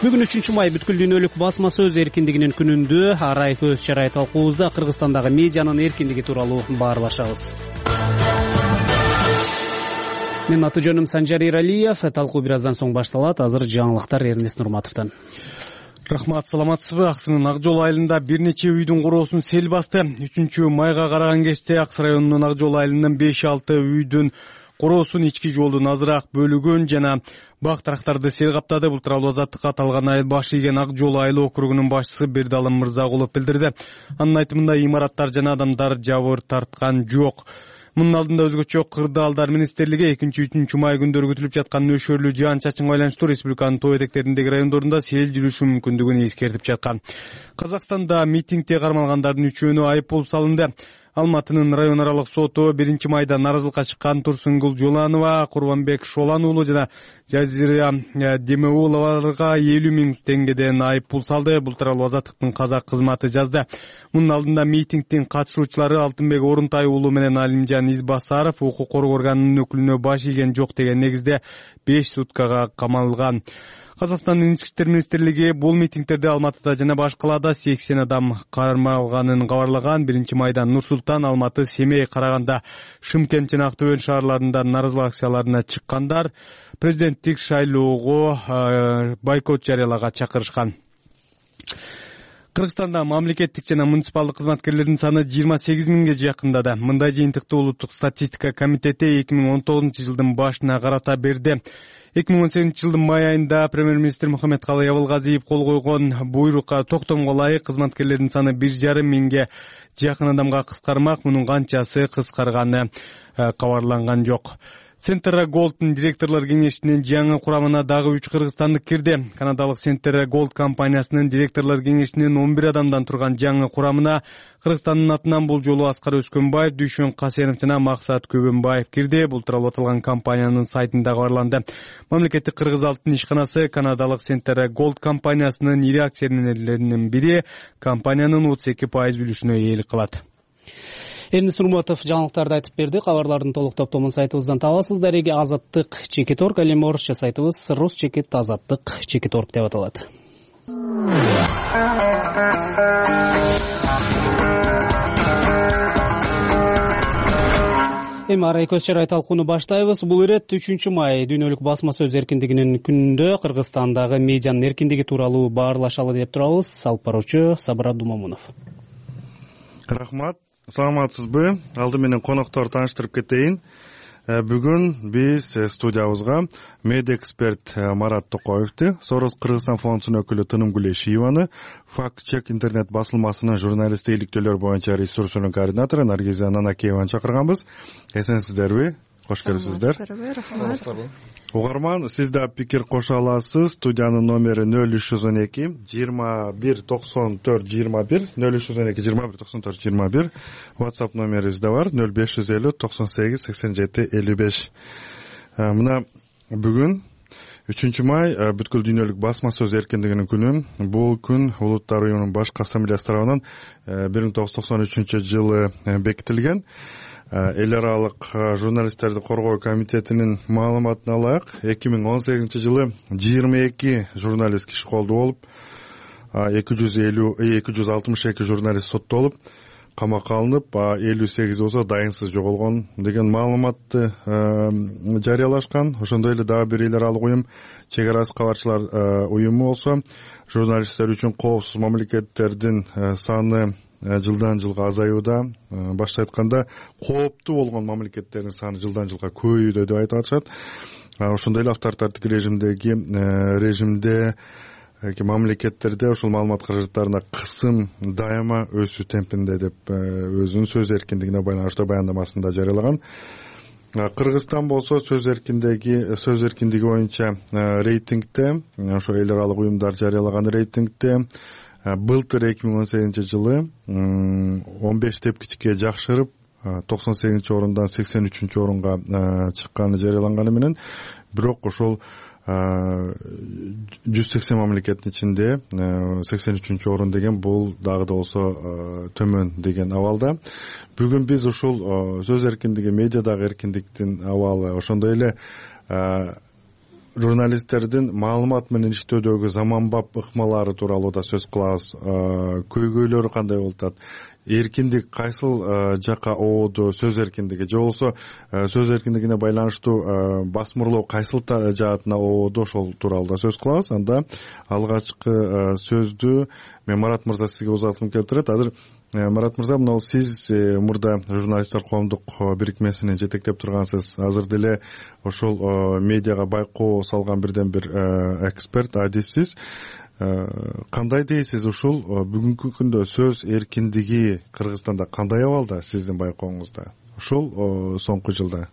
Бүгүн үчүнчү май бүткүл дүйнөлүк басма сөз эркиндигинин күнүндө арай көз чарай талкуубузда Кыргызстандагы медианын эркиндиги тууралуу баарлашабыз. Менин аты жөнүм Санжар Иралиев. Талкуу бир аздан соң башталат. Азыр жаңылыктар Эрнест Нурматовдон. Рахмат, саламатсызбы? Аксынын Ак жол айылында бир нече үйдүн короосун сел басты. үчүнчү майга караган кечте Аксы районунун Ак жол айылынын беш алты үйдүн короосун ички жолдун азыраак бөлүгүн жана бак тарактарды сел каптады. Бул тууралуу Азаттыкка аталган айыл баш ийген Ак жол айыл округунун башчысы Бердалым Мырзагулов билдирди. Анын айтымында имараттар жана адамдар жабыр тарткан жок. Мунун алдында өзгөчө Кырдаалдар министрлиги экинчи үчүнчү май күндөрү күтүлүп жаткан нөшөрлүү жаан чачынга байланыштуу республиканын тоо этектериндеги райондорунда сел жүрүшү мүмкүндүгүн эскертип жаткан. Казакстанда митингде кармалгандардын үчөөнү айыппул салынды. Алматынын район аралык соту биринчи майда наразылыкка чыккан Турсунгул Жоланова, Курбанбек Шолан уулу жана Жазира Демеуловаларга элүү миң теңгеден айыппул салды. Бул тууралуу Азаттыктын казак кызматы жазды. Мунун алдында митингдин катышуучулары Алтынбек Орунтай уулу менен Алимжан Избасаров укук коргоо органынын өкүлүнө баш ийген жок деген негизде беш суткага камалган. Казакстандын ички иштер министрлиги бул митингтерде Алматыда жана башкаларда сексен адам кармалганын кабарлаган. биринчи майда Нур Султан, Алматы, Семей, Караганда, Шымкент жана Актөбө шаарларында наразылык акцияларына чыккандар президенттик шайлоого бойкот жарыялаган чакырышкан. Кыргызстанда мамлекеттик жана муниципалдык кызматкерлердин саны жыйырма сегиз миңге жакындады. Мындай жыйынтыкты Улуттук статистика комитети эки миң он тогузунчу жылдын башына карата берди. эки миң он сегизинчи жылдын май айында премьер-министр Мухаммедкалый Абылгазиев кол койгон буйрукка токтомго ылайык кызматкерлердин саны бир жарым миңге жакын адамга кыскармак. Мунун канчасы кыскарганы кабарланган жок. Centera Gold'ун директорлор кеңешинин жаңы курамына дагы үч кыргызстандык кирди. Канадалык Centera Gold компаниясынын директорлор кеңешинин он бир адамдан турган жаңы курамына Кыргызстандын атынан бул жолу Аскар Өскөнбаев, Дүйшөн Касенов жана Максат Көбөнбаев кирди. Бул тууралуу аталган компаниянын сайтында кабарланды. Мамлекеттик кыргыз алтын ишканасы канадалык Centera Gold компаниясынын ири акционерлеринин бири компаниянын отуз эки пайыз үлүшүнө ээлик кылат. Эрнест Нурматов жаңылыктарды айтып берди. Кабарлардын толук топтомун сайтыбыздан табасыздар. Эги азаттык чекит орг, ал эми орусча сайтыбыз рус чекит азаттык чекит орг деп аталат. Эми арай көз чарай талкууну баштайбыз. Бул ирет үчүнчү май дүйнөлүк басма сөз эркиндигинин күнүндө Кыргызстандагы медианын эркиндиги тууралуу баарлашалы деп турабыз. Алып баруучу Сабыр Абдумомунов. Рахмат. Саламатсызбы? Алды менен коноктор тааныштырып кетейин. Бүгүн биз студиябызга медиа эксперт Марат Токоевди, Сорос Кыргызстан фондунун өкүлү Тынымгүл Эшиеваны, Факт Чек интернет басылмасынын журналисттик иликтөөлөр боюнча ресурсунун координатору Наргиза Нанакееваны чакырганбыз. Эсенсиздерби? Кош келипсиздер. Рахмат. Угарман, сиз да пикир кошо аласыз. Студиянын номери нөл үч жүз он эки жыйырма бир токсон төрт жыйырма бир, нөл үч жүз он эки жыйырма бир токсон төрт жыйырма бир. WhatsApp номерибиз да бар, нөл беш жүз элүү токсон сегиз сексен жети элүү беш. Мына бүгүн үчүнчү май бүткүл дүйнөлүк басма сөз эркиндигинин күнү. Бул күн Улуттар уюмунун башкы ассамблеясы тарабынан бир миң тогуз жүз токсон үчүнчү жылы бекитилген. Эл аралык журналисттерди коргоо комитетинин маалыматына ылайык, эки миң он сегизинчи жылы жыйырма эки журналист киши колдуу болуп, эки жүз элүү эки жүз алтымыш эки журналист соттолуп, камакка алынып, элүү сегизи болсо дайынсыз жоголгон деген маалыматты жарыялашкан. Ошондой эле дагы бир эл аралык уюм, чек ара кабарчылар уюму болсо, журналисттер үчүн коопсуз мамлекеттердин саны жылдан жылга азаюуда. Башка айтканда, кооптуу болгон мамлекеттердин саны жылдан жылга көбөйүүдө деп айтып атышат. Ошондой эле авторитардык режимдеги режимде мамлекеттерде ошол маалымат каражаттарына кысым дайыма өсүү темпинде деп өзүнүн сөз эркиндигине байланыштуу баяндамасында жарыялаган. Кыргызстан болсо сөз эркиндиги сөз эркиндиги боюнча рейтингде, ошо эл аралык уюмдар жарыялаган рейтингде былтыр эки миң он сегизинчи жылы он беш тепкичке жакшырып, токсон сегизинчи орундан сексен үчүнчү орунга чыкканы жарыяланганы менен, бирок ошол жүз сексен мамлекеттин ичинде сексен үчүнчү орун деген бул дагы да болсо төмөн деген абалда. Бүгүн биз ушул сөз эркиндиги, медиадагы эркиндиктин абалы, ошондой эле журналисттердин маалымат менен иштөөдөгү заманбап ыкмалары тууралуу да сөз кылабыз. Көйгөйлөрү кандай болуп атат, эркиндик кайсыл жакка оодо, сөз эркиндиги же болбосо сөз эркиндигине байланыштуу басмырлоо кайсыл жаатына оодо, ошол тууралуу да сөз кылабыз. Анда алгачкы сөздү мен Марат мырза сизге узаткым келип турат. Азыр Марат мырза, мына сиз мурда журналисттер коомдук бирикмесини жетектеп тургансыз. Азыр деле ошол медиага байкоо салган бирден бир эксперт, адиссиз. Кандай дейсиз, ушул бүгүнкү күндө сөз эркиндиги Кыргызстанда кандай абалда сиздин байкооңузда ушул соңку жылда?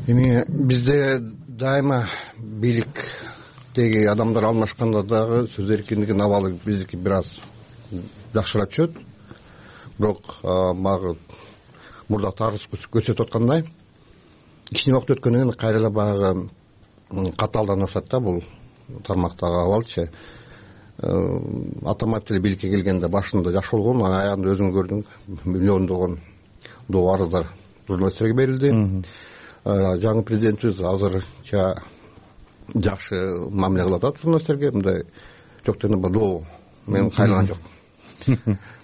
Эми бизде дайыма бийликтеги адамдар алмашканда дагы сөз эркиндигинин абалы биздики бир аз жакшыраак түшөт. Бирок багы мурда тарыс көрсөтүп аткандай, кичине убакыт өткөндөн кийин кайра эле багы катаалданып атат да бул тармактагы абалчы. Атамбаев деле бийликке келгенде башында жакшы болгон, аягында өзүң көрдүң, миллиондогон доо арыздар журналисттерге берилди. Жаңы президентибиз азырча жакшы мамиле кылып атат журналисттерге, мындай жок дегенде доо мен кайрылган жок.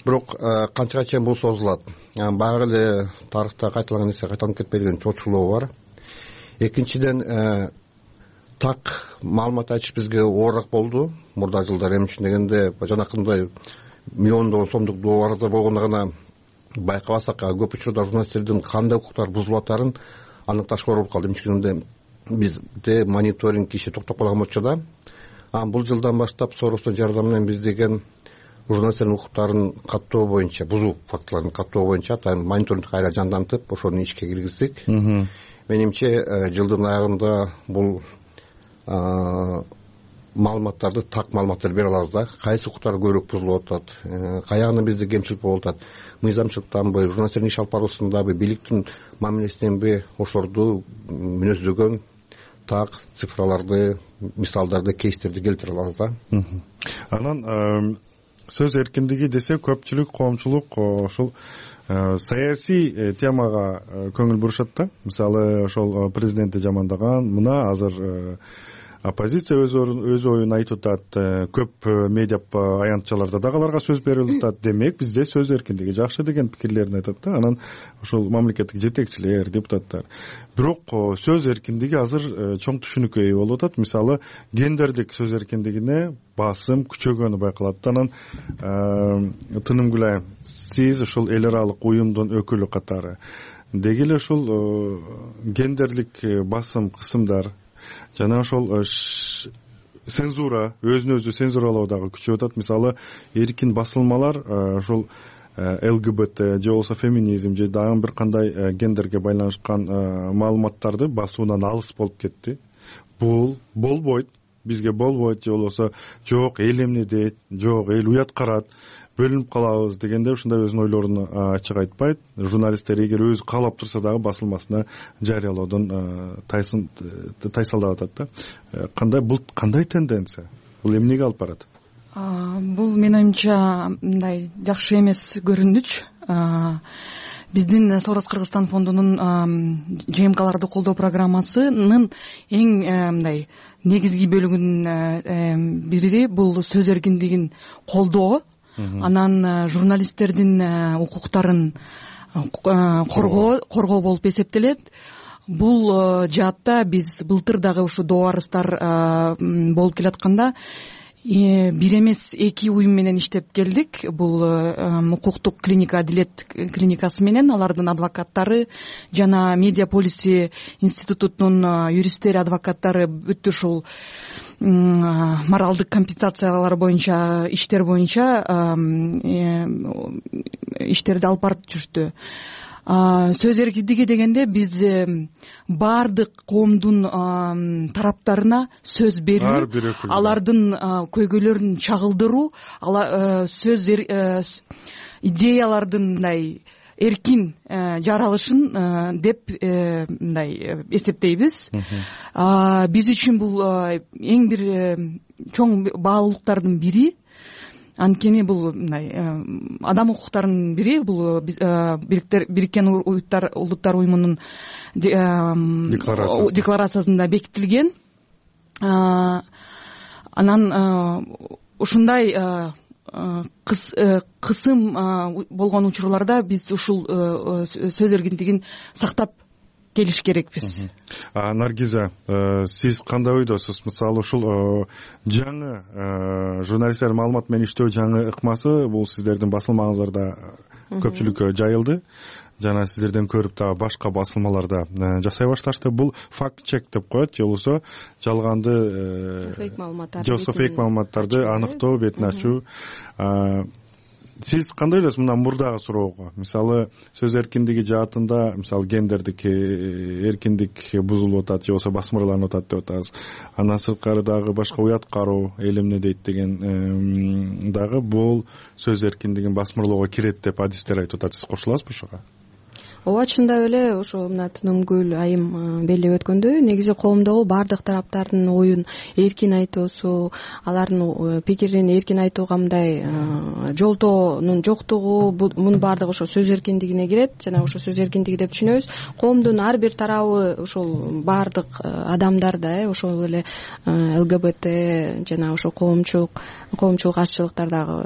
Бирок канчага чейин бул созулат? Баягы эле тарыхта кайталанган нерсе кайталанып кетпей деген чоочулоо бар. Экинчиден, так маалымат айтыш бизге оорураак болду мурда жылдары. Эми үчүн дегенде жанакындай миллиондогон сомдук доо арыздар болгондо гана байкабасак, көп учурда журналисттердин кандай укуктары бузулуп атарын аныкташка болуп калды. Эми үчүн бизде мониторинг иши токтоп калган болчу да. Бул жылдан баштап Соростун жардамы менен биз деген журналисттердин укуктарын каттоо боюнча, бузуу фактыларын каттоо боюнча атайын мониторинг кайра жандантып, ошону ишке киргиздик. Менимче жылдын аягында бул маалыматтарды, так маалыматтарды бере алабыз да. Кайсы укуктар көбүрөөк бузулуп атат, каягында бизде кемчилик болуп атат, мыйзамчылыктанбы, журналисттердин иш алып баруусундабы, бийликтин мамилесиненби, ошолорду мүнөздөгөн так цифраларды, мисалдарды, кейстерди келтире алабыз да. Анан сөз эркиндиги десе, көпчүлүк, коомчулук ошол саясий темага көңүл бурушат да. Мисалы, ошол президентти жамандаган, мына азыр оппозиция өз өз оюн айтып атат, көп медиа аянтчаларда дагы аларга сөз берилип атат. Демек, бизде сөз эркиндиги жакшы деген пикирлерин айтат да. Анан ошол мамлекеттик жетекчилер, депутаттар. Бирок сөз эркиндиги азыр чоң түшүнүккө ээ болуп атат. Мисалы, гендердик сөз эркиндигине басым күчөгөнү байкалат. Анан Тынымгүл айым, сиз ушул эл аралык уюмдун өкүлү катары деги эле ушул гендерлик басым, кысымдар жана ошол цензура, өзүн өзү цензуралоо дагы күчөп атат. Мисалы, эркин басылмалар ошол ЛГБТ же болбосо феминизм же дагы бир кандай гендерге байланышкан маалыматтарды басуудан алыс болуп кетти. Бул болбойт, бизге болбойт же болбосо жок эл эмне дейт, жок эл уят карат. бөлүнүп калабыз дегенде ушундай өзүнүн ойлорун ачык айтпайт. Журналисттер эгер өзү каалап турса дагы басылмасына жарыялоодон тайсалдап атат да. Кандай бул кандай тенденция? Бул эмнеге алып барат? Бул менин оюмча мындай жакшы эмес көрүнүч. Биздин Сорос Кыргызстан фондунун ЖМКларды колдоо программасынын эң мындай негизги бөлүгүнүн бири бул сөз эркиндигин колдоо, анан журналисттердин укуктарын коргоо болуп эсептелет. Бул жаатта биз былтыр дагы ушу доо болуп келатканда бир эмес эки уюм менен иштеп келдик. Бул укуктук клиника Адилет клиникасы менен алардын адвокаттары жана Медиа Полиси институтунун юристтери, адвокаттары бүт ушул моралдык компенсациялар боюнча иштер боюнча иштерди алып барып жүрүштү. Сөз эркиндиги дегенде биз баардык коомдун тараптарына сөз берүү, алардын көйгөйлөрүн чагылдыруу, сөз идеялардын мындай эркин жаралышын деп мындай эсептейбиз. Биз үчүн бул эң бир чоң баалуулуктардын бири. Анткени бул мындай адам укуктарынын бири, бул Бириккен Улуттар уюмунун декларациясында бекитилген. Анан ушундай кысым болгон учурларда биз ушул сөз эркиндигин сактап келиш керекпиз. Наргиза, сиз кандай ойдосуз? Мисалы ушул жаңы журналисттер маалымат менен иштөө жаңы ыкмасы бул сиздердин басылмаңыздарда көпчүлүккө жайылды. Жана сиздерден көрүп дагы башка басылмаларда жасай башташты. Бул факт чек деп коет, же болбосо жалганды фейк маалыматтарды, же фейк маалыматтарды аныктоо, бетин ачуу. Сиз кандай ойлойсуз мындан мурдагы суроого? Мисалы сөз эркиндиги жаатында, мисалы гендердик эркиндик бузулуп атат, же болбосо басмырланып атат деп атабыз. Андан сырткары дагы башка уят кароо, эл эмне дейт деген дагы бул сөз эркиндигин басмырлоого кирет деп адистер айтып атат. Сиз кошуласызбы ушуга? Ооба, чындап эле ошо мына Тынымгүл айым белгилеп өткөндөй, негизи коомдогу баардык тараптардын оюн эркин айтуусу, алардын пикирин эркин айтууга мындай жолтоонун жоктугу, мунун баардыгы ошо сөз эркиндигине кирет. Жана ошо сөз эркиндиги деп түшүнөбүз. Коомдун ар бир тарабы, ошол баардык адамдар да, ошол эле ЛГБТ жана ошо коомчулук, коомчулук азчылыктар дагы,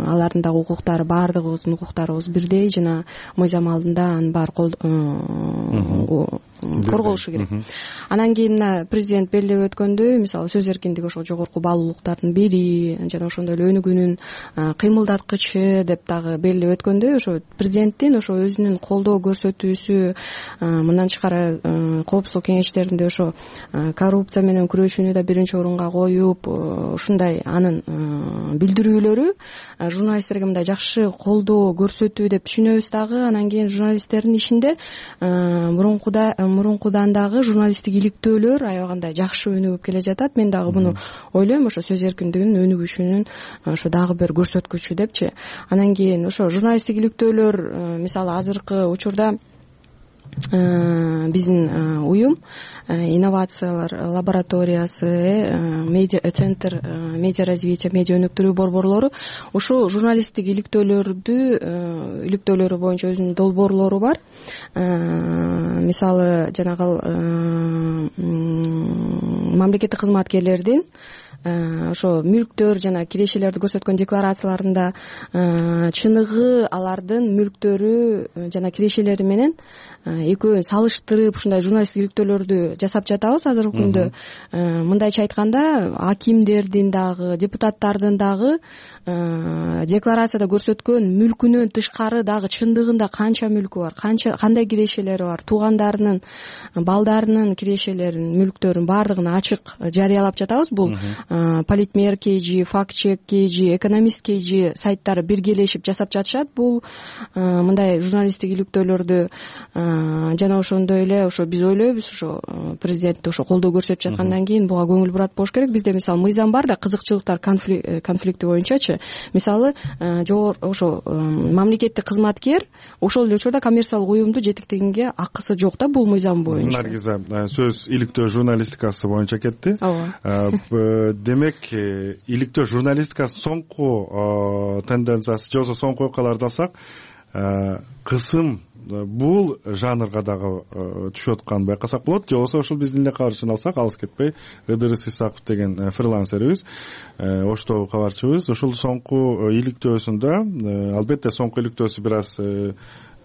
алардын дагы укуктары, баардыгыбыздын укуктарыбыз бирдей жана мыйзам алдында анын баары корголушу керек. Анан кийин мына президент белгилеп өткөндөй, мисалы сөз эркиндиги ошо жогорку баалуулуктардын бири жана ошондой эле өнүгүүнүн кыймылдаткычы деп дагы белгилеп өткөндөй, ошо президенттин ошо өзүнүн колдоо көрсөтүүсү, мындан тышкары коопсуздук кеңештеринде ошо коррупция менен күрөшүүнү да биринчи орунга коюп, ушундай анын билдирүүлөрү журналисттерге мындай жакшы колдоо көрсөтүү деп түшүнөбүз дагы. Анан кийин журналисттердин ишинде мурункуда мурункудан дагы журналисттик иликтөөлөр аябагандай жакшы өнүгүп келе жатат. Мен дагы буну ойлойм, ошо сөз эркиндигинин өнүгүшүнүн ошо дагы бир көрсөткүчү депчи. Анан кийин ошо журналисттик иликтөөлөр, мисалы азыркы учурда биздин уюм инновациялар лабораториясы, медиа центр медиа развития, медиа өнүктүрүү борборлору ушул журналисттик иликтөөлөрдү иликтөөлөрү боюнча өзүнүн долбоорлору бар. Мисалы жанагы мамлекеттик кызматкерлердин ошо мүлктөр жана кирешелерди көрсөткөн декларацияларында чыныгы алардын мүлктөрү жана кирешелери менен экөөнү салыштырып ушундай журналисттик иликтөөлөрдү жасап жатабыз азыркы күндө. Мындайча айтканда, акимдердин дагы, депутаттардын дагы декларацияда көрсөткөн мүлкүнөн тышкары дагы чындыгында канча мүлкү бар, канча кандай кирешелери бар, туугандарынын, балдарынын кирешелерин, мүлктөрүн баардыгын ачык жарыялап жатабыз. Бул Политмер kg, Фактчек kg, Экономист kg сайттары биргелешип жасап жатышат. Бул мындай журналисттик иликтөөлөрдү жана ошондой эле ошо биз ойлойбуз ошо президентти ошо колдоо көрсөтүп жаткандан кийин буга көңүл бурат болуш керек. Бизде мисалы мыйзам бар да, кызыкчылыктар конфликти боюнчачы. Мисалы жогору ошо мамлекеттик кызматкер ошол эле учурда коммерциялык уюмду жетектегенге акысы жок да, бул мыйзам боюнча. Наргиза, сөз иликтөө журналистикасы боюнча кетти. Ооба. Демек, иликтөө журналистикасы соңку тенденциясы же болбосо соңку окуяларды алсак, кысым бул жанрга дагы түшүп атканын байкасак болот. Же болбосо ошол биздин эле кабарчыны алсак, алыс кетпей, Ыдырыс Исаков деген фрилансерибиз, Оштогу кабарчыбыз, ошол соңку иликтөөсүндө, албетте соңку иликтөөсү бир аз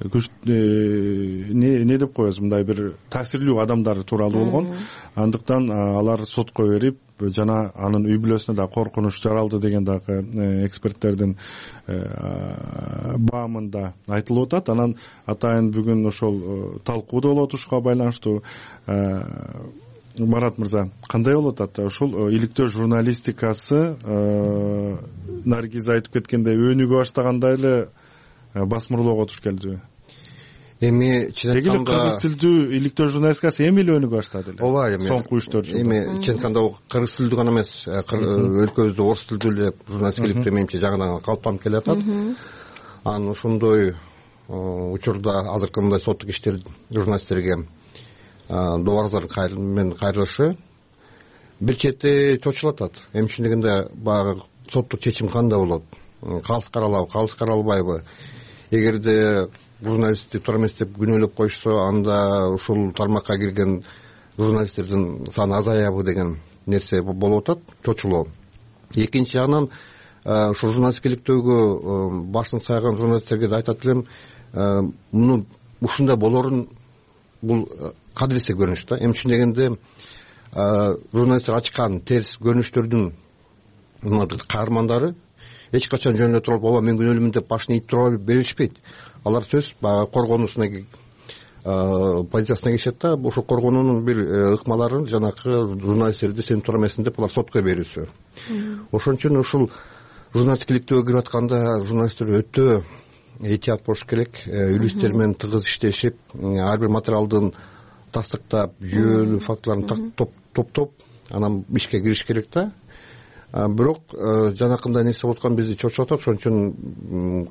күч не деп коебуз, мындай бир таасирлүү адамдар тууралуу болгон. Андыктан алар сотко берип, жана анын үй бүлөсүнө да коркунуч жаралды деген дагы эксперттердин баамында айтылып атат. Анан атайын бүгүн ошол талкуу да болот ушуга байланыштуу. Марат мырза, кандай болуп атат ушул иликтөө журналистикасы? Наргиза айтып кеткендей, өнүгө баштагандай эле басмырлоого туш келдиби? Эми чын айтканда кыргыз тилдүү иликтөө журналистикасы эми эле өнүгө баштады эле. Ооба, эми соңку үч төрт жылда. Эми чын айтканда кыргыз тилдүү гана эмес, өлкөбүздө орус тилдүү эле журналистика иликтөө менимче жаңыдан калыптанып келе атат. Анан ошондой учурда азыркы мындай соттук иштер журналисттерге добарыздар менен кайрылышы бир чети чочулуп атат. Эми чын дегенде баягы соттук чечим кандай болот? Калыс каралабы, калыс каралбайбы? Эгерде журналистти туура эмес деп күнөөлөп коюшса, анда ушул тармакка кирген журналисттердин саны азаябы деген нерсе болуп атат, чочулоо. Экинчи жагынан ушул журналистика иликтөөгө башын сайган журналисттерге да айтат элем, муну ушундай болорун бул кадырлесе көрүнүш да. Эми чын дегенде журналисттер ачкан терс көрүнүштөрдүн каармандары эч качан жөн эле туруп, ооба мен күнөөлүүмүн деп башын ийип тура беришпейт. Алар сөз баягы коргонуусуна позициясына киришет да, ошол коргонуунун бир ыкмаларын жанакы журналисттерди сен туура эмессиң деп алар сотко берүүсү. Ошон үчүн ушул журналистика иликтөөгө кирип атканда журналисттер өтө этият болуш керек, үлүстер менен тыгыз иштешип, ар бир материалдын тастыктап, жүйөлүү фактыларын топтоп, анан ишке кириш керек да. Бирок жанакындай нерсе болуп аткан бизди чочуп атат. Ошон үчүн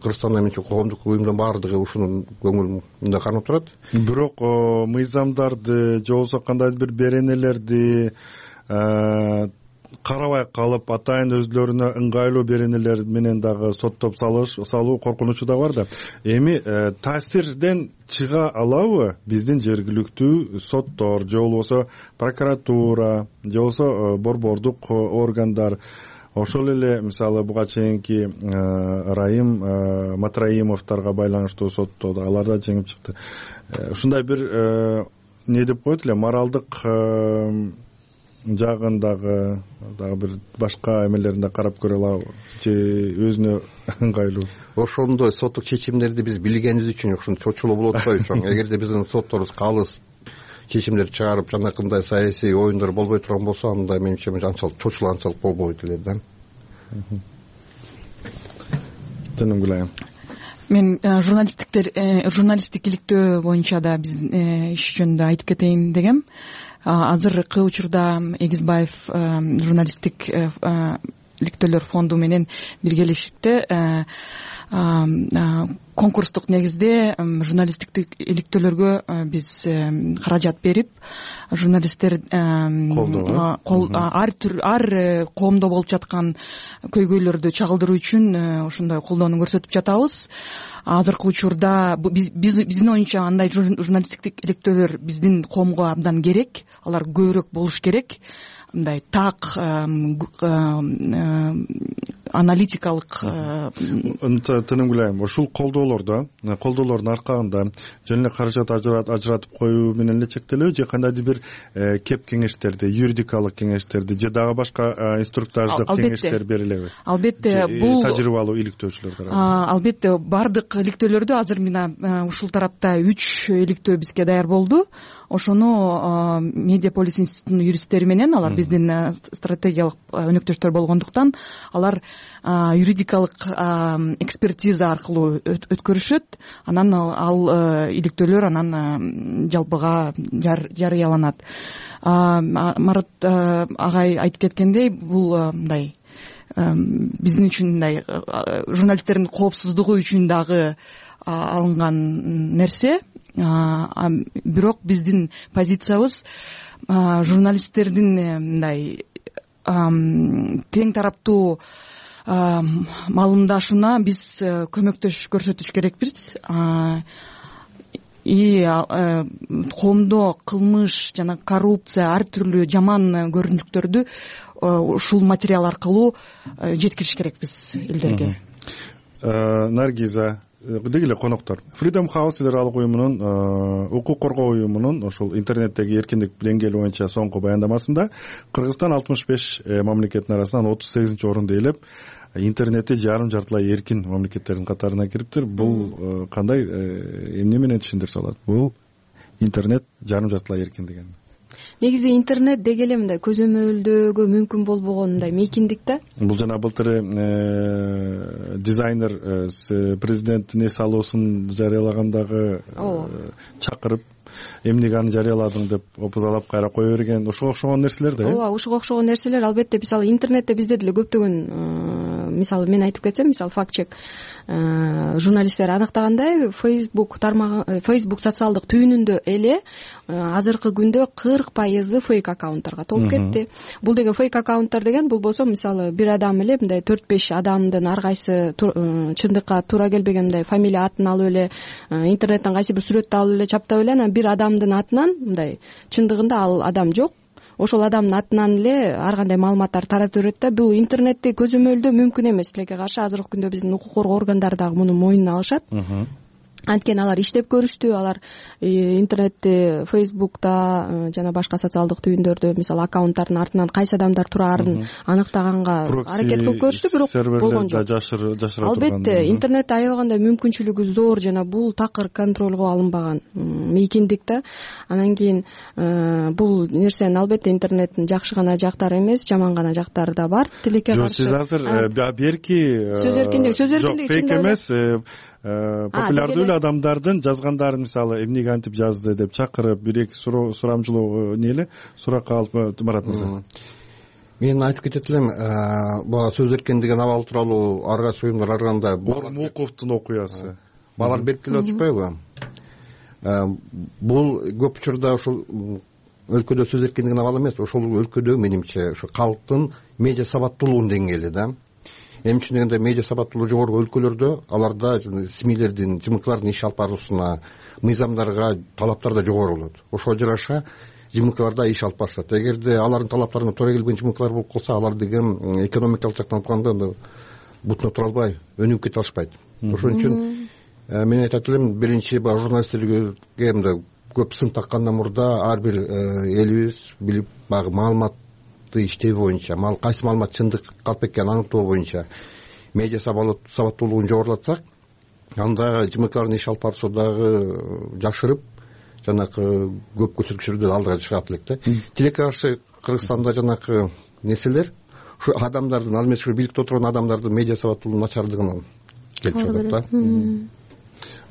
Кыргызстанда менче коомдук уюмдун баардыгы ушунун көңүлүндө кармап турат. Бирок мыйзамдарды же болбосо кандайдыр бир беренелерди карабай калып, атайын өзлөрүнө ыңгайлуу беренелер менен дагы соттоп салуу коркунучу да бар да. Эми таасирден чыга алабы биздин жергиликтүү соттор же болбосо прокуратура же болбосо борбордук органдар? Ошол эле мисалы буга чейинки Райым Матраимовдорго байланыштуу сотто алар да жеңип чыкты. Ушундай бир не деп коет эле, моралдык жагындагы дагы бир башка эмелеринде карап көрө алабы же өзүнө ыңгайлуу? Ошондой соттук чечимдерди биз билгенибиз үчүн ушун чочулоо болуп атпайбы чоң? Эгерде биздин сотторубуз калыс чечимдер чыгарып, жанакындай саясий оюндар болбой турган болсо, анда менимче анчалык чочулуу анчалык болбойт эле да. Тынымгүл айым. Мен журналисттиктер журналисттик иликтөө боюнча да биз иш жөнүндө айтып кетейин дегем. Азыркы учурда Эгизбаев журналисттик иликтөөлөр фонду менен биргелешипте конкурстук негизде журналисттик иликтөөлөргө биз каражат берип, журналисттер ар түр ар коомдо болуп жаткан көйгөйлөрдү чагылдыруу үчүн ошондой колдоону көрсөтүп жатабыз. Азыркы учурда биздин оюнча андай журналисттик иликтөөлөр биздин коомго абдан керек, алар көбүрөөк болуш керек. Мындай так аналитикалык Тынымгүл айым, ушул колдоолордо колдоолордун аркагында жөн эле каражат ажыратып коюу менен эле чектелеби же кандайдыр бир кеп кеңештерди, юридикалык кеңештерди же дагы башка инструктаждык кеңештер берилеби? Албетте, бул тажрыйбалуу иликтөөчүлөр тарабынан. Албетте, бардык иликтөөлөрдө азыр мына ушул тарапта үч иликтөө бизге даяр болду. ошону Медиаполис институтунун юристтери менен, алар биздин стратегиялык өнөктөштөр болгондуктан алар юридикалык экспертиза аркылуу өткөрүшөт, анан ал иликтөөлөр анан жалпыга жарыяланат. Марат агай айтып кеткендей, бул мындай биздин үчүн мындай журналисттердин коопсуздугу үчүн дагы алынган нерсе. Бирок биздин позициябыз журналисттердин мындай тең тараптуу маалымдашына биз көмөктөш көрсөтүш керекпиз. И коомдо кылмыш жана коррупция, ар түрлүү жаман көрүнүктөрдү ушул материал аркылуу жеткириш керекпиз элдерге. Наргиза, деги эле коноктор, Freedom House федералдык уюмунун, укук коргоо уюмунун ошол интернеттеги эркиндик деңгээли боюнча соңку баяндамасында Кыргызстан алтымыш беш мамлекеттин арасынан отуз сегизинчи орунду ээлеп, интернетти жарым жартылай эркин мамлекеттердин катарына кириптир. Бул кандай, эмне менен түшүндүрсө болот? Бул интернет жарым жартылай эркин деген. Негизи интернет деги эле мындай көзөмөлдөөгө мүмкүн болбогон мындай мейкиндик да. Бул жана былтыр дизайнер президенттин эс алуусун жарыялагандагы чакырып, эмнеге аны жарыяладың деп опузалап кайра кое берген, ошого окшогон нерселер да. Ооба, ошого окшогон нерселер албетте. Мисалы интернетте бизде деле көптөгөн, мисалы мен айтып кетсем, мисалы факт-чек журналисттер аныктагандай, Facebook тармагы, Facebook социалдык түйүнүндө эле азыркы күндө кырк пайызы фейк аккаунттарга толуп кетти. Бул деген фейк аккаунттар деген, бул болсо мисалы бир адам эле мындай төрт беш адамдын ар кайсы чындыкка туура келбеген мындай фамилия атын алып эле, интернеттен кайсы бир сүрөттү алып эле чаптап эле, анан бир адамдын атынан мындай чындыгында ал адам жок, ошол адамдын атынан эле ар кандай маалыматтар таратып берет да. Бул интернетти көзөмөлдөө мүмкүн эмес. Тилекке каршы азыркы күндө биздин укук коргоо органдары дагы муну мойнуна алышат. Анткени алар иштеп көрүштү, алар интернетти, Facebook'та жана башка социалдык түйүндөрдө мисалы аккаунттардын артынан кайсы адамдар турарын аныктаганга аракет кылып көрүштү, бирок болгон жок. Албетте интернетте аябагандай мүмкүнчүлүгү зор жана бул такыр контролго алынбаган мейкиндик да. Анан кийин бул нерсенин албетте интернеттин жакшы гана жактары эмес, жаман гана жактары да бар. Тилекке каршы. Сиз азыр берки сөз эркиндиги, сөз эркиндиги фейк эмес, популярдуу эле адамдардын жазгандарын, мисалы эмнеге антип жазды деп чакырып, бир эки сурамчылоо не эле суракка алып Марат мырза. Мен айтып кетет элем, бул сөз эркиндигин абал тууралуу ар кайсы уюмдар ар кандай Муковдун окуясы. Балар берип келип атышпайбы? Бул көп учурда ушул өлкөдө сөз эркиндигин абал эмес, ошол өлкөдө менимче ушу калктын медиа сабаттуулугунун деңгээли да. Эми үчүн дегенде медиа сабаттуулугу жогорку өлкөлөрдө аларда СМИлердин, ЖМКлардын иш алып баруусуна, мыйзамдарга талаптар да жогору болот. Ошого жараша ЖМКларда иш алып барышат. Эгерде алардын талаптарына туура келбеген ЖМКлар болуп калса, алар деген экономикалык жактан алганда бутуна тура албай, өнүгүп кете алышпайт. Ошон үчүн мен айтат элем, биринчи баягы журналисттерге мындай көп сын таккандан мурда ар бир элибиз билип, баягы маалымат иштөө боюнча, кайсы маалымат чындык калп экенин аныктоо боюнча медиа сабаттуулугун жогорулатсак, анда ЖМКлардын иш алып баруусу дагы жакшырып, жанакы көп көрсөткүчтөрдө алдыга чыгат элек да. Тилекке каршы Кыргызстанда жанакы нерселер ушу адамдардын, ал эмес ушу бийликте отурган адамдардын медиа сабаттуулугунун начардыгынан келип чыгат да.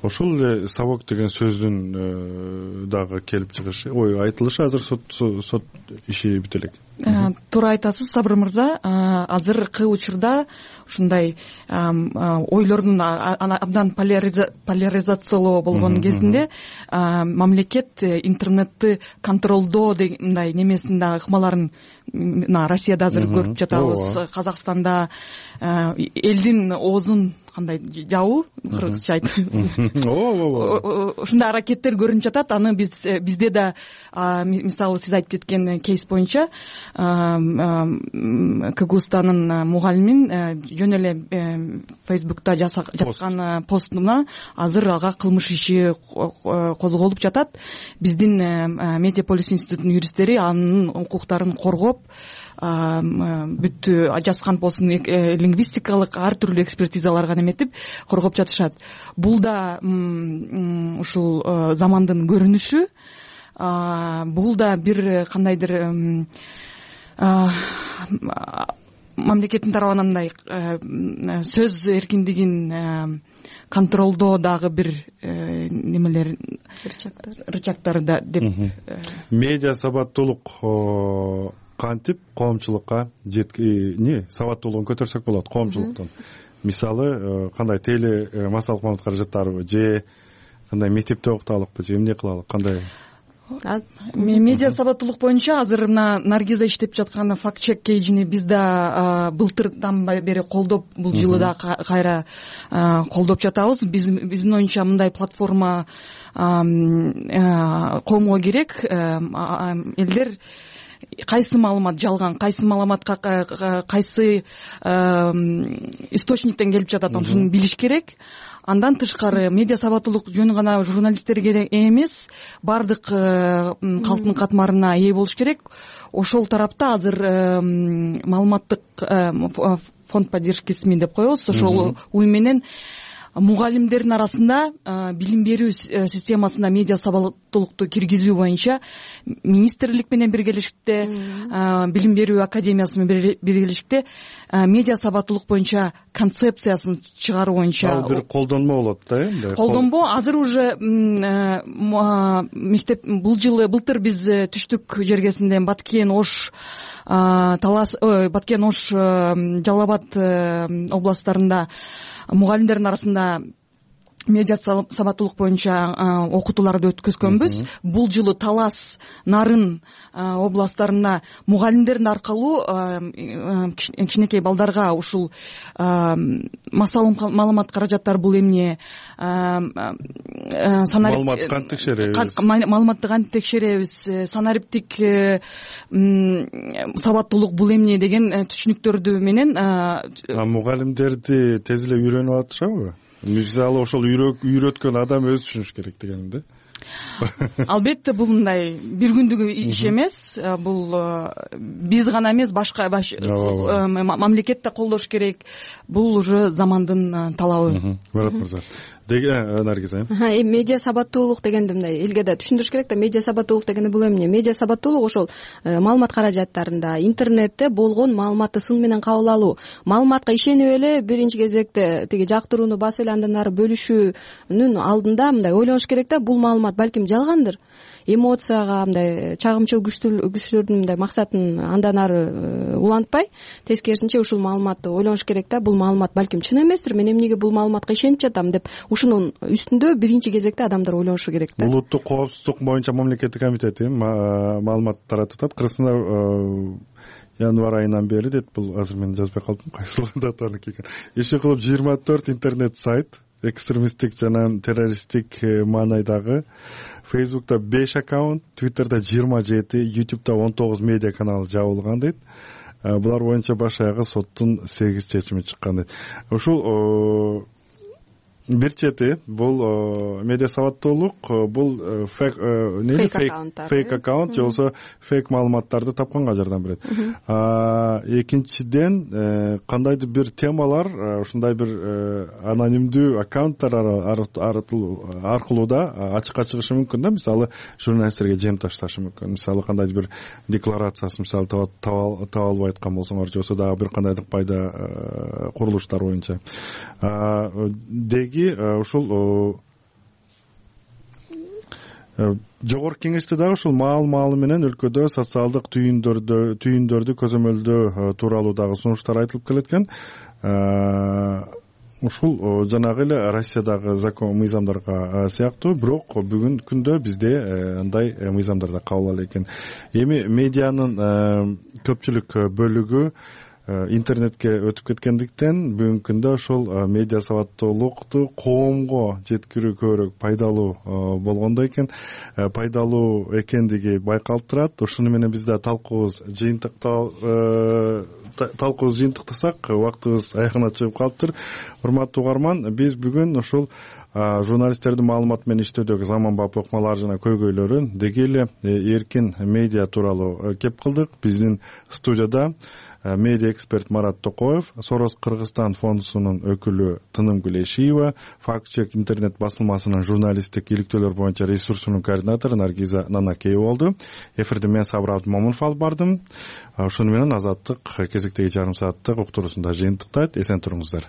Ошол эле сабок деген сөздүн дагы келип чыгышы, ой айтылышы азыр сот иши бүтө элек. Туура айтасыз, Сабыр мырза. Азыркы учурда ушундай ойлордун абдан поляризациялоо болгон кезинде мамлекет интернетти контролдоо мындай немесин дагы ыкмаларын мына Россияда азыр көрүп жатабыз. Казакстанда элдин оозун кандай жабуу, кыргызча айтып, ушундай аракеттер көрүнүп жатат. Аны биз бизде да мисалы сиз айтып кеткен кейс боюнча Кыгызстандын мугалимин жөн эле Facebook'та жазган постуна азыр ага кылмыш иши козголуп жатат. Биздин Медиаполис институтунун юристтери анын укуктарын коргоп, бүт жазган постун лингвистикалык ар түрлүү экспертизаларга неметип коргоп жатышат. Бул да ушул замандын көрүнүшү. бул да бир кандайдыр мамлекеттин тарабынан мындай сөз эркиндигин контролдоо дагы бир немелер рычагдары да деп. Медиа сабаттуулук кантип коомчулукка не сабаттуулугун көтөрсөк болот коомчулуктун? Мисалы кандай теле массалык маалымат каражаттарыбы же кандай мектепте окуталыкпы же эмне кылалык, кандай? Медиа сабаттуулук боюнча азыр мына Наргиза иштеп жаткан факт чек кейжини биз да былтырдан бери колдоп, бул жылы да кайра колдоп жатабыз. Биздин оюнча мындай платформа коомго керек. Элдер кайсы маалымат жалган, кайсы маалыматка кайсы источниктен келип жатат, ошону билиш керек. Андан тышкары медиа сабаттуулук жөн гана журналисттерге эмес, баардык калктын катмарына ээ болуш керек. Ошол тарапта азыр маалыматтык фонд поддержкисими деп коебуз. Ошол уюм менен мугалимдердин арасында билим берүү системасына медиа сабаттуулукту киргизүү боюнча министрлик менен биргелешикте, билим берүү академиясы менен биргелешикте медиа сабаттуулук боюнча концепциясын чыгаруу боюнча ал бир колдонмо болот да эми. Колдонмо азыр уже мектеп бул жылы былтыр биз түштүк жергесинде Баткен, Ош, Талас, Баткен, Ош, Жалал Абад областтарында мугалимдердин арасында медиа сабаттуулук боюнча окутууларды өткөзгөнбүз. Бул жылы Талас, Нарын областтарында мугалимдердин аркылуу кичинекей балдарга ушул массалык маалымат каражаттары бул эмне, маалыматты кантип текшеребиз, маалыматты кантип текшеребиз, санариптик сабаттуулук бул эмне деген түшүнүктөрдү менен мугалимдерди тез эле үйрөнүп атышабы? Мисалы ошол үйрөткөн адам өзү түшүнүш керек дегеним да. Албетте бул мындай бир күндүк иш эмес. Бул биз гана эмес, башка мамлекет да колдош керек. Бул уже замандын талабы. Марат мырза. Наргиза. Медиа сабаттуулук дегенди мындай элге да түшүндүрүш керек да. Медиа сабаттуулук дегенде бул эмне? Медиа сабаттуулук ошол маалымат каражаттарында, интернетте болгон маалыматты сын менен кабыл алуу, маалыматка ишенип эле биринчи кезекте тиги жактырууну басып эле андан ары бөлүшүүнүн алдында мындай ойлонуш керек да. Бул маалымат балким жалгандыр. Эмоцияга мындай чагымчыл күчтөрдүн мындай максатын андан ары улантпай, тескерисинче ушул маалыматты ойлонуш керек да. Бул маалымат балким чын эместир, мен эмнеге бул маалыматка ишенип жатам деп ушунун үстүндө биринчи кезекте адамдар ойлонушу керек да. Улуттук коопсуздук боюнча мамлекеттик комитети маалымат таратып атат. Кыргызстанда январь айынан бери дейт, бул азыр мен жазбай калдым кайсы датаны келген. Иши кылып жыйырма төрт интернет сайт, экстремисттик жана террористтик маанайдагы, Facebook'ta беш аккаунт, Twitter'da жыйырма жети, YouTube'da он тогуз медиа канал жабылган дейт. Булар боюнча баш аягы соттун сегиз чечими чыккан дейт. Ушул бир чети бул медиа сабаттуулук, бул фейк фейк аккаунт же болбосо фейк маалыматтарды тапканга жардам берет. Экинчиден кандайдыр бир темалар ушундай бир анонимдүү аккаунттар аркылуу да ачыкка чыгышы мүмкүн да. Мисалы журналисттерге жем ташташы мүмкүн. Мисалы кандайдыр бир декларациясын мисалы таба албай аткан болсоңор же болбосо дагы бир кандайдыр пайда курулуштар боюнча деги ушул жогорку кеңеште дагы ушул маал маалы менен өлкөдө социалдык түйүндөрдү түйүндөрдү көзөмөлдөө тууралуу дагы сунуштар айтылып келеткен. Ушул жанагы эле Россиядагы закон мыйзамдарга сыяктуу, бирок бүгүнкү күндө бизде андай мыйзамдар да кабыл алат экен. Эми медианын көпчүлүк бөлүгү интернетке өтүп кеткендиктен бүгүнкү күндө ушул медиа сабаттуулукту коомго жеткирүү көбүрөөк пайдалуу болгондой экен, пайдалуу экендиги байкалып турат. Ушуну менен биз да талкуубуз жыйынтыктал талкуубузду жыйынтыктасак убактыбыз аягына чыгып калыптыр. Урматтуу угарман, биз бүгүн ушул журналисттердин маалымат менен иштөөдөгү заманбап ыкмалар жана көйгөйлөрүн деги эле эркин медиа тууралуу кеп кылдык. Биздин студияда медиа эксперт Марат Токоев, Сорос Кыргызстан фондусунун өкүлү Тынымгүл Эшиева, Факт чек интернет басылмасынын журналисттик иликтөөлөр боюнча ресурсунун координатору Наргиза Нанакеева болду. Эфирди мен Сабыр Абдымомунов алып бардым. Ошону менен Азаттык кезектеги жарым сааттык уктуруусунда жыйынтыктайт. Эсен туруңуздар.